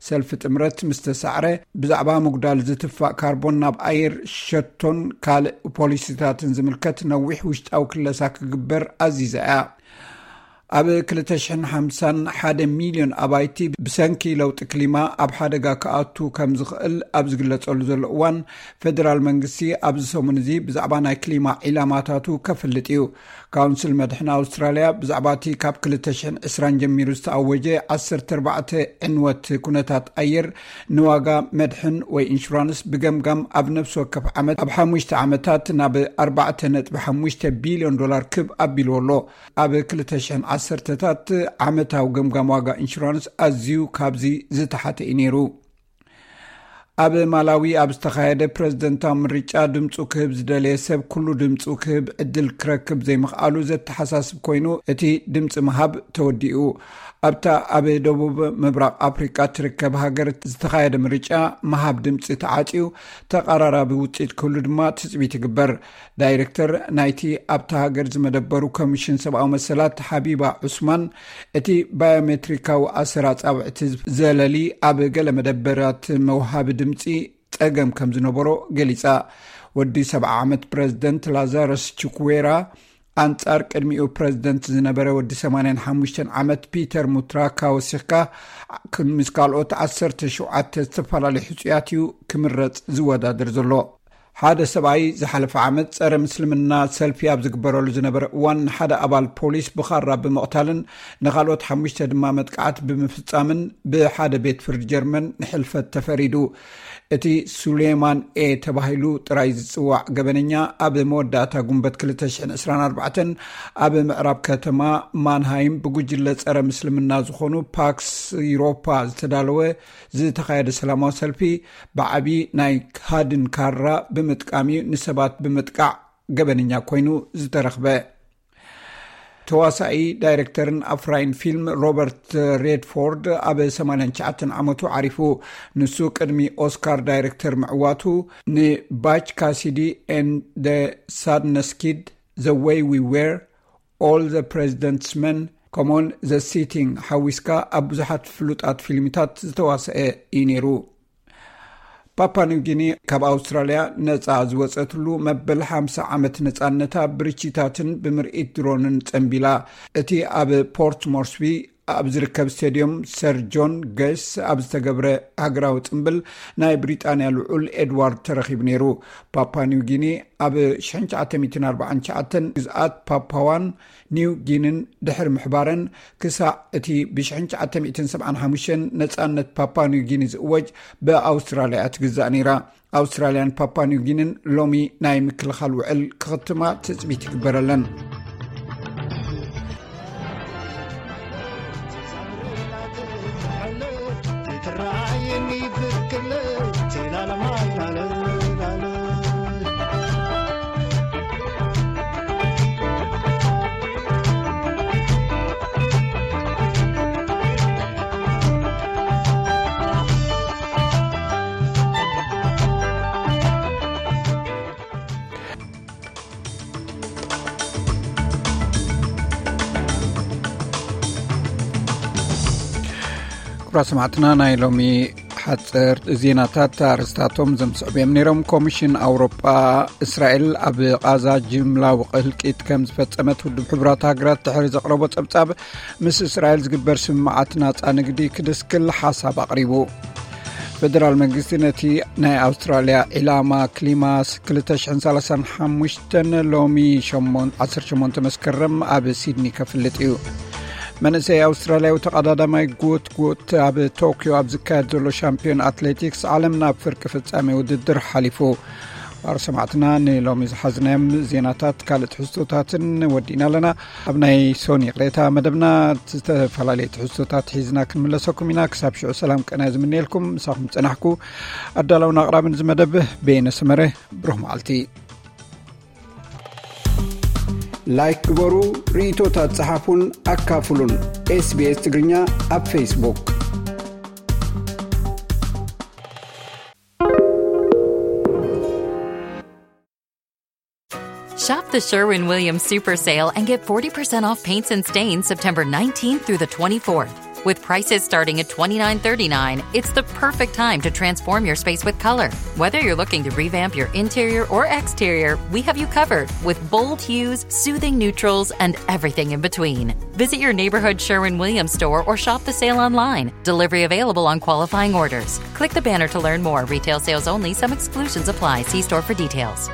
ሰልፊ ጥምረት ምስ ተሳዕረ፣ ብዛዕባ ምጉዳል ዝትፋእ ካርቦን ናብ ኣየር ሸቶን ካልእ ፖሊሲታትን ዝምልከት ነዊሕ ውሽጣዊ ክለሳ ክግበር ኣዚዛ እያ። ኣብ ክልተ ሽሕን ሓምሳን ሓደ ሚልዮን ኣባይቲ ብሰንኪ ለውጢ ክሊማ ኣብ ሓደጋ ክኣቱ ከም ዝኽእል ኣብ ዝግለጸሉ ዘሎ እዋን፣ ፌደራል መንግስቲ ኣብዚ ሰሙን እዚ ብዛዕባ ናይ ክሊማ ዒላማታቱ ከፍልጥ እዩ። ካውንስል መድሕን ኣውስትራልያ ብዛዕባ እቲ ካብ ክልተ ሽሕን ዕስራን ጀሚሩ ዝተኣወጀ ዓሰርተ ኣርባዕተ ዕንወት ኩነታት ኣየር ንዋጋ መድሕን ወይ ኢንሹራንስ ብገምጋም ኣብ ነፍሲ ወከፍ ዓመት ኣብ ሓሙሽተ ዓመታት ናብ ኣርባዕተ ነጥቢ ሓሙሽተ ቢልዮን ዶላር ክብ ኣቢልዎ ኣሎ። ኣብ ክልተ ሽሕን ዓሰርተታት ዓመታዊ ገምጋም ዋጋ ኢንሹራንስ ኣዝዩ ካብዚ ዝተሓተ እዩ ነይሩ። ኣብ ማላዊ ኣብ ዝተኻየደ ፕረዚደንታዊ ምርጫ ድምፁ ክህብ ዝደለየ ሰብ ኩሉ ድምፁ ክህብ ዕድል ክረክብ ዘይምኽኣሉ ዘተሓሳስብ ኮይኑ፣ እቲ ድምፂ ምሃብ ተወዲኡ። ኣብታ ኣብ ደቡብ ምብራቕ ኣፍሪቃ ትርከብ ሃገር ዝተኻየደ ምርጫ ምሃብ ድምፂ ተዓፅዩ፣ ተቐራራቢ ውፅኢት ክህሉ ድማ ትፅቢት ይግበር። ዳይሬክተር ናይቲ ኣብታ ሃገር ዝመደበሩ ኮሚሽን ሰብኣዊ መሰላት ሓቢባ ዑስማን፣ እቲ ባዮሜትሪካዊ ኣሰር ኣጻብዕቲ ዘለሊ ኣብ ገለ መደበራት መውሃቢ ድምፂ ጸገም ከም ዝነበሮ ገሊጻ። ወዲ ሰብዓ ዓመት ፕረዚደንት ላዛረስ ቹክዌራ፣ ኣንጻር ቅድሚኡ ፕረዚደንት ዝነበረ ወዲ ሰማንያን ሓሙሽተን ዓመት ፒተር ሙትራካ ወሲኽካ፣ ምስ ካልኦት ዓሰርተ ሸውዓተ ዝተፈላለዩ ሕጹያት እዩ ክምረጽ ዝወዳደር ዘሎ። ሓደ ሰብኣይ ዝሓለፈ ዓመት ጸረ ምስልምና ሰልፊ ኣብ ዝግበረሉ ዝነበረ እዋን፣ ንሓደ ኣባል ፖሊስ ብኻራ ብምቕታልን ንኻልኦት ሓሙሽተ ድማ መጥቃዕቲ ብምፍጻምን ብሓደ ቤት ፍርዲ ጀርመን ንሕልፈት ተፈሪዱ። እቲ ሱሌማን ኤ ተባሂሉ ጥራይ ዝጽዋዕ ገበነኛ፣ ኣብ መወዳእታ ጉንበት ክልተ ሽሕን ዕስራን ኣርባዕተን ኣብ ምዕራብ ከተማ ማንሃይም ብጉጅለ ጸረ ምስልምና ዝኾኑ ፓክስ ዩሮፓ ዝተዳለወ ዝተኻየደ ሰላማዊ ሰልፊ፣ ብዓቢ ናይ ሃድን ካራ ብምጥቃም እዩ ንሰባት ብምጥቃዕ ገበነኛ ኮይኑ ዝተረኽበ። ተዋሳኢ፣ ዳይሬክተርን ኣፍራይን ፊልም ሮበርት ሬድፎርድ ኣብ ሰማንያን ትሽዓተን ዓመቱ ዓሪፉ። ንሱ ቅድሚ ኦስካር ዳይሬክተር ምዕዋቱ፣ ንባች ካሲዲ and the Sundance Kid፣ The Way We Were፣ All the President's Men፣ ከምኡውን The Sitting ሓዊስካ ኣብ ብዙሓት ፍሉጣት ፊልሚታት ዝተዋሰአ እዩ ነይሩ። ፓፓ ኒው ጊኒ ካብ ኣውስትራልያ ነጻ ዝወጸትሉ መበል ሓምሳ ዓመት ነጻነታ ብርችታትን ብምርኢት ድሮንን ጸንቢላ። እቲ ኣብ ፖርት ሞርስቢ ኣብ ዝርከብ ስቴድዮም ሰር ጆን ገስ ኣብ ዝተገብረ ሃገራዊ ጽምብል፣ ናይ ብሪጣንያ ልዑል ኤድዋርድ ተረኺቡ ነይሩ። ፓፓ ኒው ጊኒ ኣብ ሽሕን ትሽዓተ ሚእትን ኣርባዓን ትሽዓተን ግዝኣት ፓፓዋን ኒው ጊንን ድሕሪ ምሕባረን፣ ክሳዕ እቲ ብሽሕን ትሽዓተ ሚእትን ሰብዓን ሓሙሽተን ነጻነት ፓፓ ኒው ጊኒ ዝእወጅ፣ ብኣውስትራልያ ትግዛእ ነይራ። ኣውስትራልያን ፓፓ ኒው ጊንን ሎሚ ናይ ምክልኻል ውዕል ክኽትማ ትጽቢት ይግበረለን። ክቡራት ሰማዕትና፣ ናይ ሎሚ ሓፀርቲ ዜናታት ኣርእስታቶም ዘምስዕቡ እዮም ነይሮም። ኮሚሽን ኣውሮጳ፣ እስራኤል ኣብ ቓዛ ጅምላዊ ህልቂት ከም ዝፈጸመት ውድብ ሕቡራት ሃገራት ድሕሪ ዘቕረቦ ጸብጻብ፣ ምስ እስራኤል ዝግበር ስምምዓት ናጻ ንግዲ ክድስክል ሓሳብ ኣቕሪቡ። ፌደራል መንግስቲ ነቲ ናይ ኣውስትራልያ ዒላማ ክሊማ ክልተ ሽሕን ሰላሳን ሓሙሽተን ሎሚ ሸሞን-፣ ዓሰርተ ሸሞንተ መስከረም ኣብ ሲድኒ ከፍልጥ እዩ። መንእሰይ ኣውስትራልያዊ ተቐዳዳማይ ጎትጎት ኣብ ቶክዮ ኣብ ዝካየድ ዘሎ ሻምፒዮን ኣትሌቲክስ ዓለም ናብ ፍርቂ ፍጻሜ ውድድር ሓሊፉ። ባር ሰማዕትና፣ ንሎሚ ዝሓዝናዮም ዜናታት ካልእ ትሕዝቶታትን ወዲእና ኣለና። ኣብ ናይ ሶኒ ቅሬታ መደብና ዝተፈላለየ ትሕዝቶታት ሒዝና ክንምለሰኩም ኢና። ክሳብ ሽዑ ሰላም ቀና ዝምነየልኩም። ምሳኹም ጸናሕኩ ኣዳላውን ኣቕራብን እዚ መደብ በየነ ሰመረ። ብሩኽ መዓልቲ። ላይክ ግበሩ፣ ርእይቶታት ጸሓፉን ኣካፍሉን። ኤስቢኤስ ትግርኛ ኣብ ፌስቡክ። Shop the Sherwin Williams Super Sale and get forty percent off paints and stains September nineteenth through the twenty-fourth. With prices starting at twenty-nine thirty-nine, it's the perfect time to transform your space with color. Whether you're looking to revamp your interior or exterior, we have you covered with bold hues, soothing neutrals, and everything in between. Visit your neighborhood Sherwin Williams store or shop the sale online. Delivery available on qualifying orders. Click the banner to learn more. Retail sales only. Some exclusions apply. See store for details.